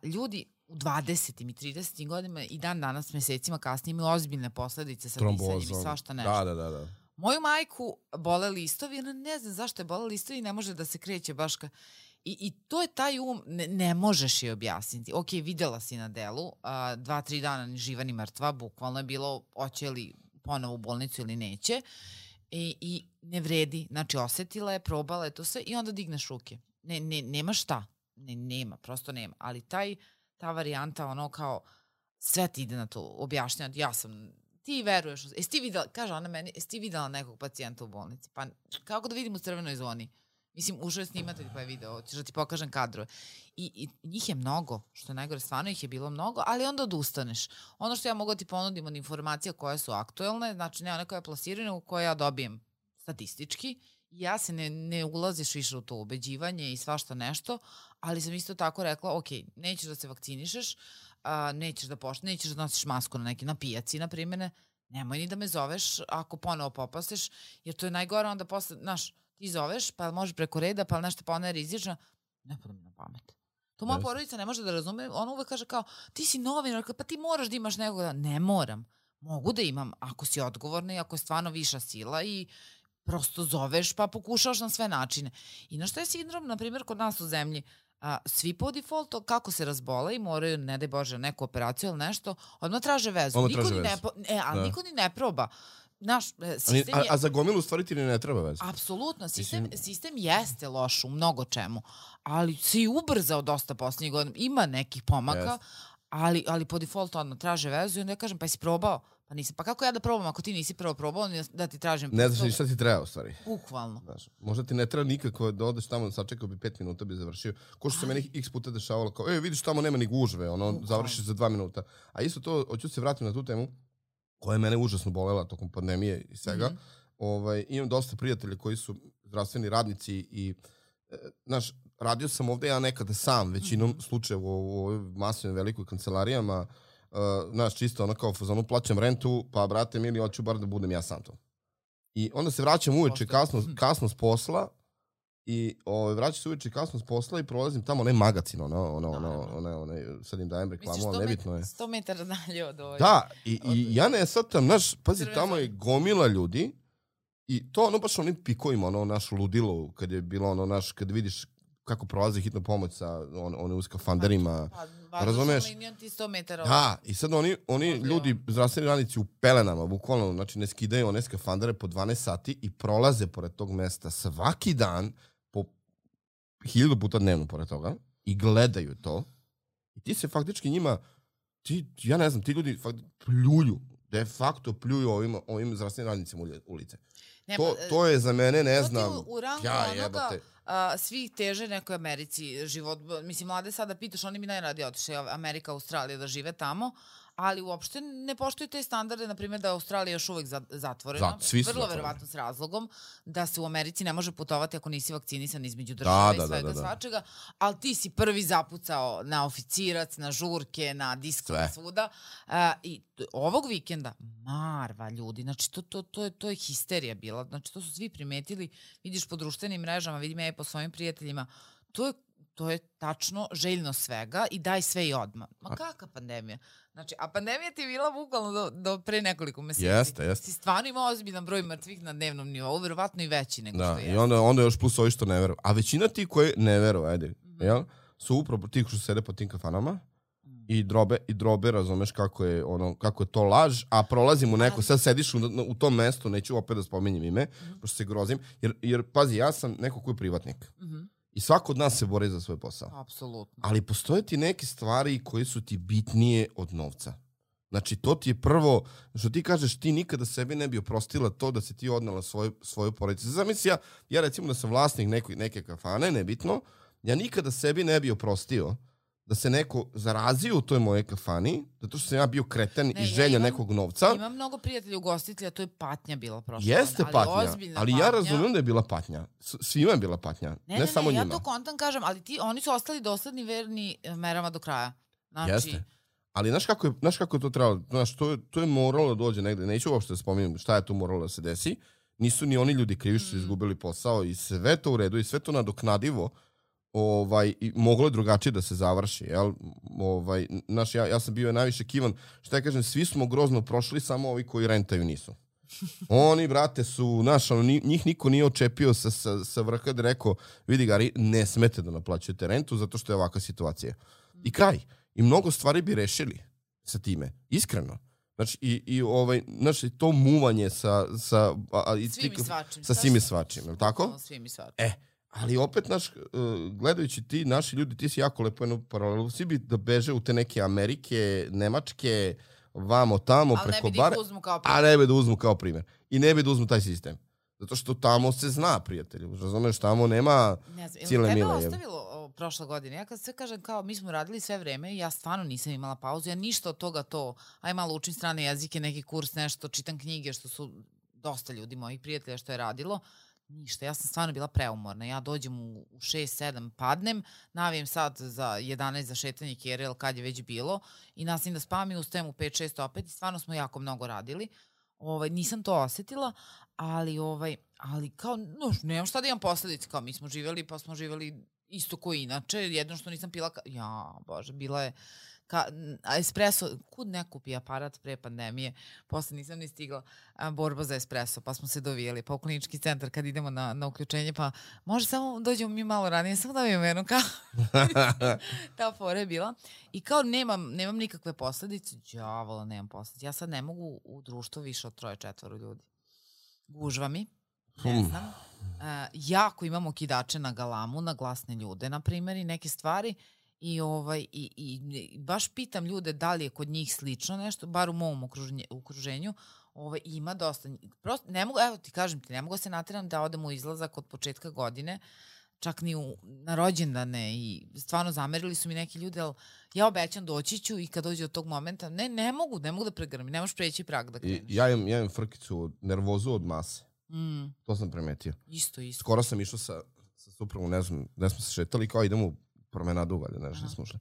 ljudi u 20. i 30. godinama i dan danas, mesecima kasnije, imaju ozbiljne posledice sa disanjem i svašta nešto. Da. Moju majku bole listovi, ona ne znam zašto je bole listovi i ne može da se kreće baš I to je taj ne možeš je objasniti. Ok, videla si na delu, 2-3 dana ni živa ni mrtva, bukvalno je bilo hoće li ponovo u bolnicu ili neće. I ne vredi, znači osetila je, probala je to sve i onda digneš ruke. Nema šta. Nema, prosto nema. Ali ta varijanta, ono kao, sve ti ide na to objašnjati. Ti veruješ, kaže ona meni, jesi ti videla nekog pacijenta u bolnici? Pa kako da vidim u crvenoj zoni? Mislim, ušao je snimatelj pa je video, ćeš da ti pokažem kadrove. I njih je mnogo, što je najgore, stvarno ih je bilo mnogo, ali onda odustaneš. Ono što ja mogu da ti ponudim od informacija koje su aktuelne, znači ne one koje plasiraju, nego koje ja dobijem statistički, ja se ne ulaziš više u to ubeđivanje i svašta nešto, ali sam isto tako rekla, ok, nećeš da se vakcinišeš, nećeš da nosiš masku na pijaci, na primjer, nemoj ni da me zoveš ako ponovo popaseš, jer to je najgore, onda posle, znaš, ti zoveš, pa možeš preko reda, pa nešto, pa ona je rizična, ne pada mi na pamet. To moja porodica ne može da razume, ona uvek kaže kao, ti si novinar, pa ti moraš da imaš nekoga, ne moram, mogu da imam, ako si odgovorna i ako je stvarno viša sila i prosto zoveš pa pokušaš na sve načine. I na što je sindrom, na primjer, kod nas u zemlji, svi po defaultu, kako se razbole i moraju, ne daj Bože, neku operaciju ili nešto, odmah traže vezu. Niko ni ne proba. A za gomilu stvari ti ne treba veze? Apsolutno. Sistem jeste loš u mnogo čemu, ali se i ubrzao dosta posljednjih godina. Ima nekih pomaka, ali po defaultu odmah traže vezu i onda ja kažem, pa jesi probao? Pa nisam. Pa kako ja da probam ako ti nisi prvo probao da ti tražim... Ne znaš ni šta ti treba u stvari. Bukvalno. Možda ti ne treba nikako da odeš tamo, sačekao bi 5 minuta bi završio. Ko što se meni x puta dešavalo kao, vidiš tamo nema ni gužve, završiš za 2 minuta. A isto to, hoću se vratiti na tu temu, koja je mene užasno bolela tokom pandemije i svega. Imam dosta prijatelja koji su zdravstveni radnici i, znaš, radio sam ovde ja nekada sam, većinom slučajeva u ovoj masivnoj velikoj kancelarijama, znaš, čisto ono kao fazonu plaćam rentu, pa brate mili, hoću bar da budem ja sam to. I onda se vraćam uveče kasno s posla I vraćam se uveče kasno s posla i prolazim tamo onaj magacin, sad im dajem reklamu, ali nebitno je. 100 metara dalje od ovoj. Da, i ja ne shvatam, pazi, tamo je gomila ljudi i to baš onim pikovima, naš ludilo, kad je bilo kad vidiš kako prolazi hitna pomoć sa u skafanderima. Razumeš? Ti 100 metara. Da, i sad oni ljudi, zdravstveni radnici u pelenama, bukvalno, znači ne skidaju one skafandere po 12 sati i prolaze pored tog mesta svaki dan po 1000 puta dnevno pored toga i gledaju to. I ti se faktički njima, ja ne znam, ti ljudi pljuju, de facto pljuju ovim zdravstvenim radnicima u lice. To je za mene, ne znam, u rangu onoga, svi teže nekoj Americi život. Mislim, mlade sada pitaš, oni mi najradije otišli Amerika, Australija da žive tamo, ali uopšte ne poštuju te standarde, na primjer da je Australija još uvek zatvorena, vrlo verovatno s razlogom, da se u Americi ne može putovati ako nisi vakcinisan između države i svega svačega, ali ti si prvi zapucao na oficirac, na žurke, na disk, na svuda. I ovog vikenda, marva ljudi, znači to je histerija bila, znači to su svi primetili, vidiš po društvenim mrežama, vidim ja i po svojim prijateljima, to je tačno željno svega i daj sve i odmah. Ma kakva pandemija? Znači, a pandemija ti je bila bukvalno do pre nekoliko meseci. Jeste. Si stvarno imao ozbiljan broj mrtvih na dnevnom nivou, verovatno i veći nego što je. I onda još plus ovi što ne veruju. A većina ti koji ne veruju, su upravo ti što sede po tim kafanama i drobe, razumeš kako je to laž, a prolazim u neko, sad sediš u tom mestu, neću opet da spominjem ime, pošto se grozim, jer pazi, ja sam neko ko je privatnik. I svako od nas se bori za svoj posao. Apsolutno. Ali postoje ti neke stvari koje su ti bitnije od novca. Znači, to ti je prvo, što ti kažeš, ti nikada sebi ne bi oprostila to da se ti odnala svoju porodicu. Zamisli ja recimo da sam vlasnik neke kafane, nebitno, ja nikada sebi ne bi oprostio da se neko zarazio u toj moje kafani, zato što sam ja bio kreten i želja nekog novca. Imam mnogo prijatelja ugostitelja, to je patnja bila prošla. Jeste patnja, ali ja razumijem da je bila patnja. Svima je bila patnja, ne samo njima. Ja to kontam kažem, ali oni su ostali dosledni verni merama do kraja. Znači... Jeste. Ali znaš kako je to trebalo? Znaš, to je moralo da dođe negde. Neću uopšte da spominjem šta je to moralo da se desi. Nisu ni oni ljudi krivi što su izgubili posao i sve to u redu i sve to nadoknadivo. I moglo je drugačije da se završi, jel? Ja sam bio najviše kivan, šta ja kažem, svi smo grozno prošli, samo ovi koji rentaju nisu. Oni, brate, su, njih niko nije očepio sa vrha da rekao, vidi Gari, ne smete da naplaćujete rentu zato što je ovakva situacija. I kraj. I mnogo stvari bi rešili sa time, iskreno. Znači, to muvanje sa svim i svačim, je li tako? Svim i svačim. Ali opet, gledajući ti, naši ljudi, ti si jako lepo jednu paralelu, svi bi da beže u te neke Amerike, Nemačke, vamo, tamo, preko bara, a ne bi da uzmu kao primjer. I ne bi da uzmu taj sistem. Zato što tamo se zna, prijatelju. Razumeš, tamo nema cijele mile. Tebe ostavilo prošle godine. Ja kad sve kažem kao mi smo radili sve vreme, ja stvarno nisam imala pauzu. Ja ništa od toga aj malo učim strane jezike, neki kurs, nešto, čitam knjige, što su dosta ljudi, mojih prijatelja, što je radilo. Ništa, ja sam stvarno bila preumorna. Ja dođem u 6-7, padnem, navijem sad za 11 za šetanje kerel kad je već bilo i nastavim da spavam i ustajem u 5-6 opet i stvarno smo jako mnogo radili. Nisam to osetila, ali kao, nemam šta da imam posledice, kao mi smo živjeli, pa smo živjeli isto ko inače, jedno što nisam pila, bože, bila je espresso, kud ne kupi aparat pre pandemije, posle nisam ni stigla, borba za espresso, pa smo se dovijeli, pa u klinički centar kad idemo na uključenje, pa može samo dođemo mi malo ranije, samo da vijem jednu kao ta fora je bila i kao nemam nikakve posledice, đavola nemam posledice, ja sad ne mogu u društvu više od 3-4 ljudi, gužva mi, ne znam, jako imamo kidače na galamu, na glasne ljude, na primjer, i neke stvari. I baš pitam ljude da li je kod njih slično nešto, bar u mom okruženju, ima dosta. Prosto, ne mogu, evo ti kažem ti, ne mogu se natjeram da odem u izlazak od početka godine, čak ni na rođendane i stvarno zamerili su mi neki ljudi, ali ja obećam doći ću i kad dođe od tog momenta, ne mogu da pregrmi, ne možeš preći prag da kreneš. Ja imam frkicu, nervozu od mase. To sam primetio. Isto. Skoro sam išao sa suprugom, ne znam, gde smo se šetali, kao idemo u promenadu uvalje, nešto smo ušli.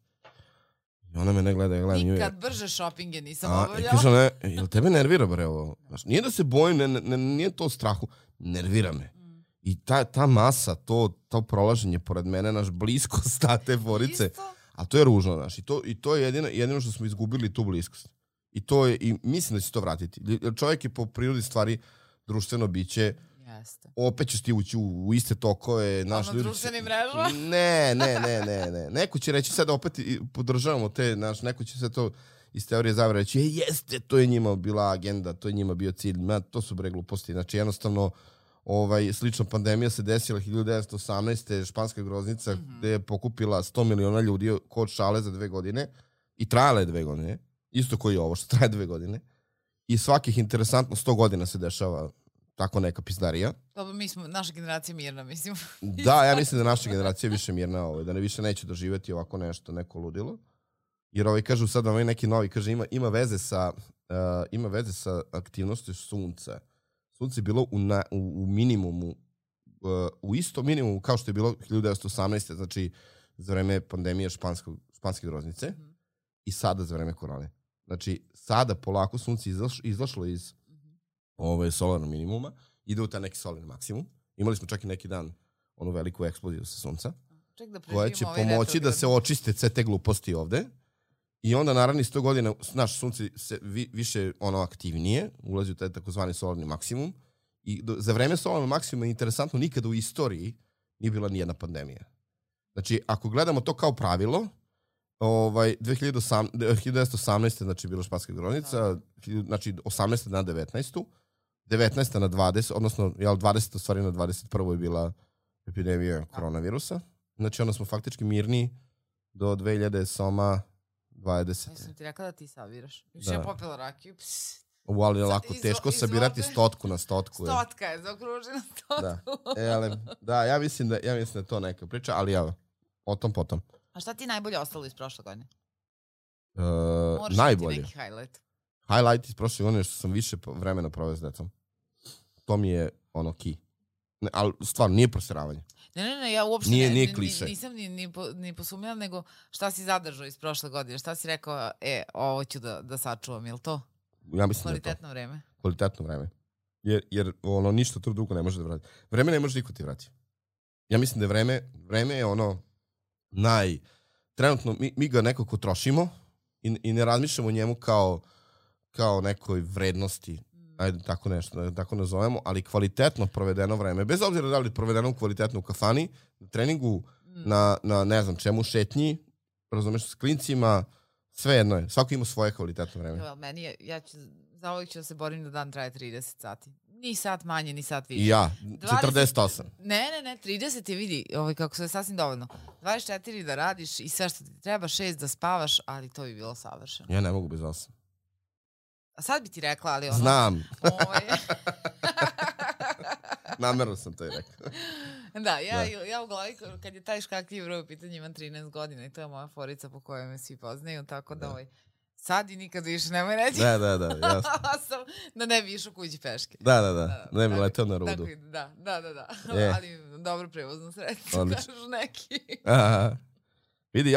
I ona me ne gleda, ja gledam nju. Nikad brže šopinge nisam obavljala. I kaže, jel tebe nervira bre ovo? Nije da se bojim, nije to strahu, nervira me. I ta masa, to prolaženje pored mene, naš bliskost te forice, a to je ružno, znaš. I to je jedino što smo izgubili tu bliskost. I mislim da će to vratiti. Čovjek je po prirodi stvari društveno biće. Jeste. Opet ćeš ti ući u iste tokove. Naš ljudi društvenim mrežama? Ne. Neko će reći sad opet podržavamo te, neko će se to iz teorije zavere reći, jeste, to je njima bila agenda, to je njima bio cilj. To su bre gluposti. Znači jednostavno slična pandemija se desila 1918. španska groznica gde je pokupila 100 miliona ljudi kod šale za 2 godine i trajala je 2 godine. Isto koji je ovo što traje 2 godine. I svakih interesantno 100 godina se dešava tako neka pizdarija. Dobro, naša generacija mirna, mislim. Da, ja mislim da naša generacija je više mirna, da ne više neće doživjeti ovako nešto, neko ludilo. Jer kažu sad neki novi, kaže ima veze sa aktivnosti sunca. Sunce je bilo u minimumu, u isto minimumu kao što je bilo 1918. Znači za vreme pandemije španske groznice i sada za vreme korone. Znači sada polako sunce izašlo iz solarnog minimuma, ide u taj neki solarni maksimum. Imali smo čak i neki dan onu veliku eksploziju sa sunca, koja će pomoći da se očiste sve te gluposti ovde. I onda naravno 100 godina naš sunce se više aktivnije, ulazi u taj takozvani solarni maksimum. I za vreme solarnog maksimuma, interesantno, nikada u istoriji nije bila nijedna pandemija. Znači, ako gledamo to kao pravilo, 1918. znači bila španska groznica, znači 18. na 19. 19. na 20. odnosno 20. stvari na 21. je bila epidemija koronavirusa. Znači, onda smo faktički mirni do 2020. Ja sam ti rekla da ti saviraš. Još ja popila rakiju. Ali je lako teško sabirati stotku na stotku. Stotka je zaokružena stotku. Da, ja mislim da je to neka priča, ali o tom potom. A šta ti najbolje ostalo iz prošle godine? Najbolje. Neki highlight. Highlight iz prošle godine je što sam više vremena proveo s decom. To mi je key. Ali stvarno, nije proseravanje. Ne, ja uopšte nije kliše. Nisam ni posumnjala, nego šta si zadržao iz prošle godine? Šta si rekao, ovo ću da sačuvam, je li to? Ja mislim kvalitetno vreme. Kvalitetno vreme. Jer ništa to drugo ne može da vrati. Vreme ne može niko ti vrati. Ja mislim da vreme je trenutno mi ga nekako trošimo i ne razmišljamo o njemu kao nekoj vrednosti. Ajde, tako nešto, tako nazovemo, ali kvalitetno provedeno vreme, bez obzira da li je provedeno kvalitetno u kafani, na treningu, na ne znam čemu, šetnji, razumeš, s klincima, sve jedno je. Svako ima svoje kvalitetno vreme. Meni je, zauvijek ću da se borim da dan traje 30 sati. Ni sat manje, ni sat više. I ja, 48. Ne, 30 je, vidi, kako se je sasvim dovoljno. 24 da radiš i sve što ti treba, 6 da spavaš, ali to bi bilo savršeno. Ja ne mogu bez 8. A sad bi ti rekla, ali Znam. Namerno sam to i rekao. Da, ja u glavi, kad je taj škakljiv broj u pitanju, imam 13 godina i to je moja forica po kojoj me svi poznaju, tako da sad i nikad više nemoj reći. Da, jasno. Da ne bi išao kući peške. Da, ne bi leteo na rudu. Da. Ali dobro prevozno sredstvo, kažu neki. Vidi,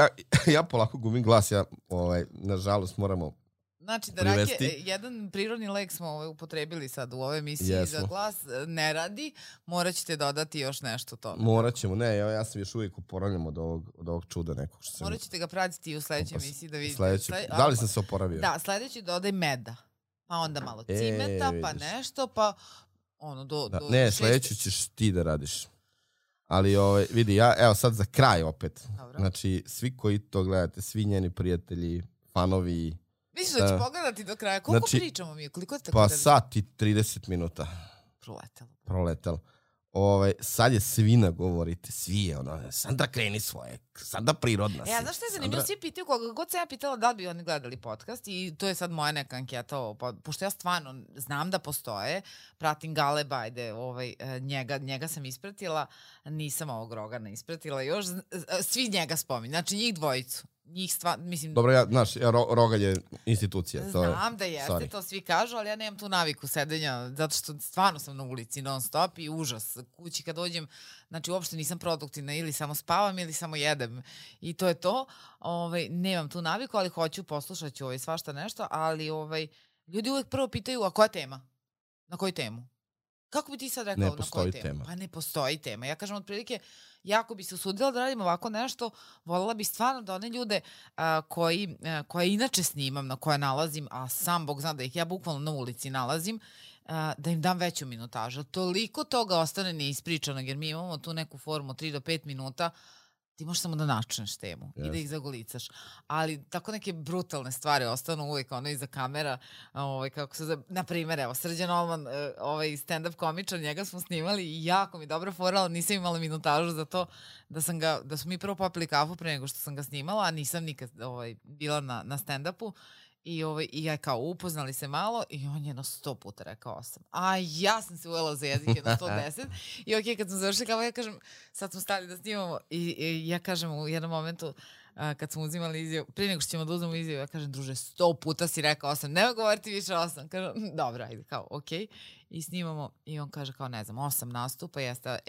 ja polako gubim glas, nažalost moramo Znači, da jedan prirodni lek smo upotrebili sad u ovoj emisiji za glas ne radi, morat ćete dodati još nešto tome. Morat ćemo, ja sam još uvijek oporavljam od ovog čuda nekog. Morat ćete ga pratiti u sljedećoj emisiji da vidite. Da li sam se oporavio? Da, sljedeći dodaj meda, pa onda malo cimeta, pa nešto, pa Ne, sljedeći ćeš ti da radiš. Ali vidi, evo sad za kraj opet. Znači, svi koji to gledate, svi njeni prijatelji, fanovi. Misliš da ću pogledati do kraja? Koliko pričamo mi? Koliko te pa sat i 30 minuta. Proletelo. Sad je svi nagovorite, svi je Sandra kreni svoje, Sandra prirodna si. Znaš što je zanimljivo? Svi pitaju koga god se ja pitala da li bi oni gledali podcast i to je sad moja neka anketa, pošto ja stvarno znam da postoje, pratim Galeba, ajde, njega sam ispratila, nisam ovog Rogana ispratila još, svi njega spominju, znači njih dvojicu. Dobro, Rogalj je institucija. Znam da jeste, to svi kažu, ali ja nemam tu naviku sedenja, zato što stvarno sam na ulici non stop i užas. Kući kad dođem, znači uopšte nisam produktivna, ili samo spavam ili samo jedem i to je to. Nemam tu naviku, ali hoću, poslušat ću svašta nešto, ali ljudi uvek prvo pitaju, a koja tema? Na koju temu? Kako bi ti sad rekao Ne na postoji koju temu? tema. Pa ne postoji tema. Ja kažem otprilike, jako bi se usudila da radim ovako nešto, voljela bi stvarno da one ljude koje inače snimam, na koje nalazim, a sam Bog zna da ih ja bukvalno na ulici nalazim, da im dam veću minutažu. Toliko toga ostane neispričano, jer mi imamo tu neku formu 3 do 5 minuta, ti možeš samo da načneš temu i da ih zagolicaš. Ali tako neke brutalne stvari ostanu uvijek iza kamera. Na primjer, evo, Srđan Olman, stand-up komičar, njega smo snimali i jako mi dobra fora, ali nisam imala minutažu za to da smo mi prvo popili kafu pre nego što sam ga snimala, a nisam nikad bila na stand-upu. I ja kao upoznali se malo i on je 100 puta rekao 8. A ja sam se ujela za jezik 110. I okej, kad smo završili kao ja kažem, sad smo stali da snimamo i ja kažem u jednom momentu kad smo uzimali izjavu, prije nego što ćemo da uzmemo izjavu, ja kažem, druže, 100 puta si rekao 8, nema govoriti više 8. Kažem, dobro, ajde, kao, okej. I snimamo i on kaže kao, ne znam, 8 nastupa, jeste,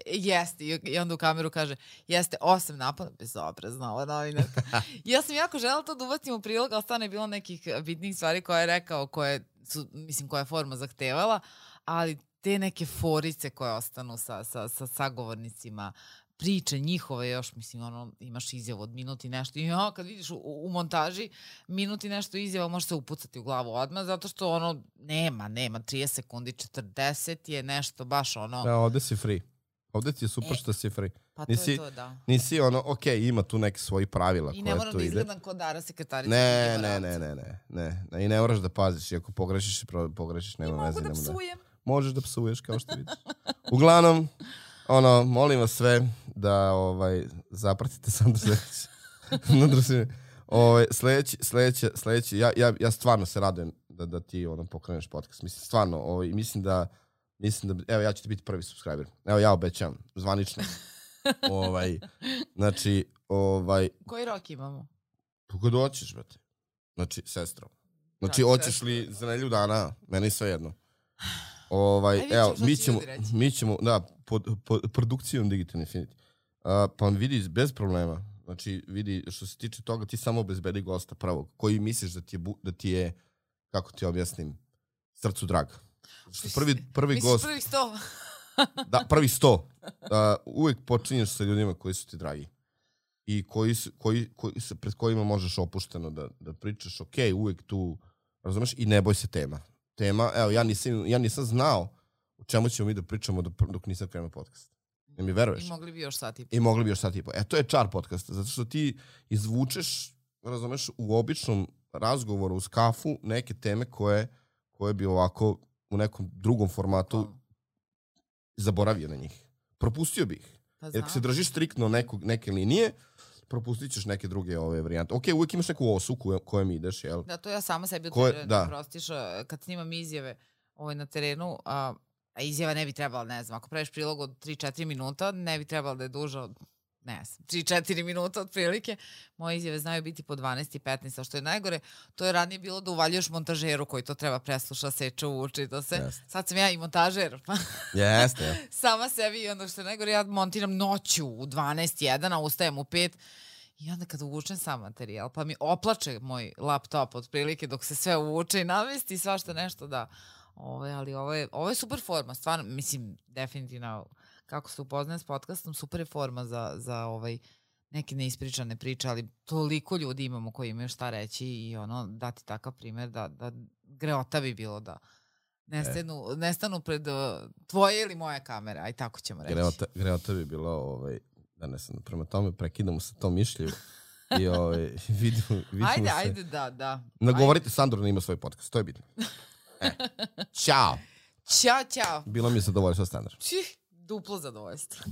i onda u kameru kaže, jeste 8 napada, bezobrazna ova novinarka. Ja sam jako želela to da ubacim u prilog, ali stvarno je bilo nekih bitnih stvari koje je rekao, koja je forma zahtevala, ali te neke forice koje ostanu sa sagovornicima, priče njihove još, imaš izjavu od minut i nešto i kad vidiš u montaži minut i nešto izjava može se upucati u glavu odmah, zato što nema 30 sekundi, 40 je nešto baš Da, ovde si free. Ovde ti je super što si free. Pa to je to, da. Nisi ima tu neke svoji pravila koje tu ide. I ne moram da izgledam kod Dara sekretarica. Ne. I ne moraš da paziš, i ako pogrešiš, nema veze. I mogu da psujem. Možeš da psuješ, kao što vidiš. Uglavnom, molim vas sve da zapratite Sandru sledeći. Ja stvarno se radujem da ti pokreneš podcast. Mislim, stvarno, mislim da, evo, ja ću ti biti prvi subscriber. Evo, ja obećam, zvanično. Znači, Koji rok imamo? Kako doćeš, brate? Znači, sestro. Znači, hoćeš li za nedelju dana? Meni sve jedno. Evo, mi ćemo, da, pod produkcijom Digital Infinity. Pa vidi, bez problema. Znači, vidi, što se tiče toga, ti samo obezbedi gosta prvog, koji misliš da ti je, kako ti objasnim, srcu drag. Prvi gost... Misliš prvih 100? Da, prvih 100. Uvijek počinješ sa ljudima koji su ti dragi. I pred kojima možeš opušteno da pričaš, uvijek tu, razumeš, i ne boj se tema. Evo, ja nisam znao o čemu ćemo mi da pričamo dok nisam krenuo podcast. Ne mi veruješ? I mogli bi još sat i po. To je čar podcasta, zato što ti izvučeš, razumeš, u običnom razgovoru uz kafu neke teme koje bi ovako u nekom drugom formatu zaboravio na njih. Propustio bi ih. Jer ako se držiš striktno neke linije, propustit ćeš neke druge varijante. Uvijek imaš neku osu kojem ideš, jel? Da, to ja sama sebi da prostiš. Kad snimam izjave na terenu, a izjava ne bi trebala, ne znam, ako praviš prilog od 3-4 minuta, ne bi trebala da je duža od, ne znam, 3-4 minuta otprilike. Moje izjave znaju biti po 12 i 15, a što je najgore, to je ranije bilo da uvaljuješ montažeru koji to treba presluša, seče, uči, to se. Sad sam ja i montažer. Jeste. Sama sebi i onda što je najgore, ja montiram noću u 12:01, a ustajem u 5. I onda kad uvučem sam materijal, pa mi oplače moj laptop otprilike dok se sve uvuče i namesti svašta nešto da... ali ovo je super forma, stvarno, mislim, definitivno, kako se upoznajem s podcastom, super je forma za neke neispričane priče, ali toliko ljudi imamo koji imaju šta reći i dati takav primjer da greota bi bilo da nestanu pred tvoje ili moje kamere, aj tako ćemo reći. Greota bi bilo, da ne sam, prema tome prekidamo sa tom mišlju i vidimo se. Ajde, da. Nagovorite Sandru da ima svoj podcast, to je bitno. Ćao. Ćao. Bilo mi je zadovoljstvo, Sandra. Duplo zadovoljstvo.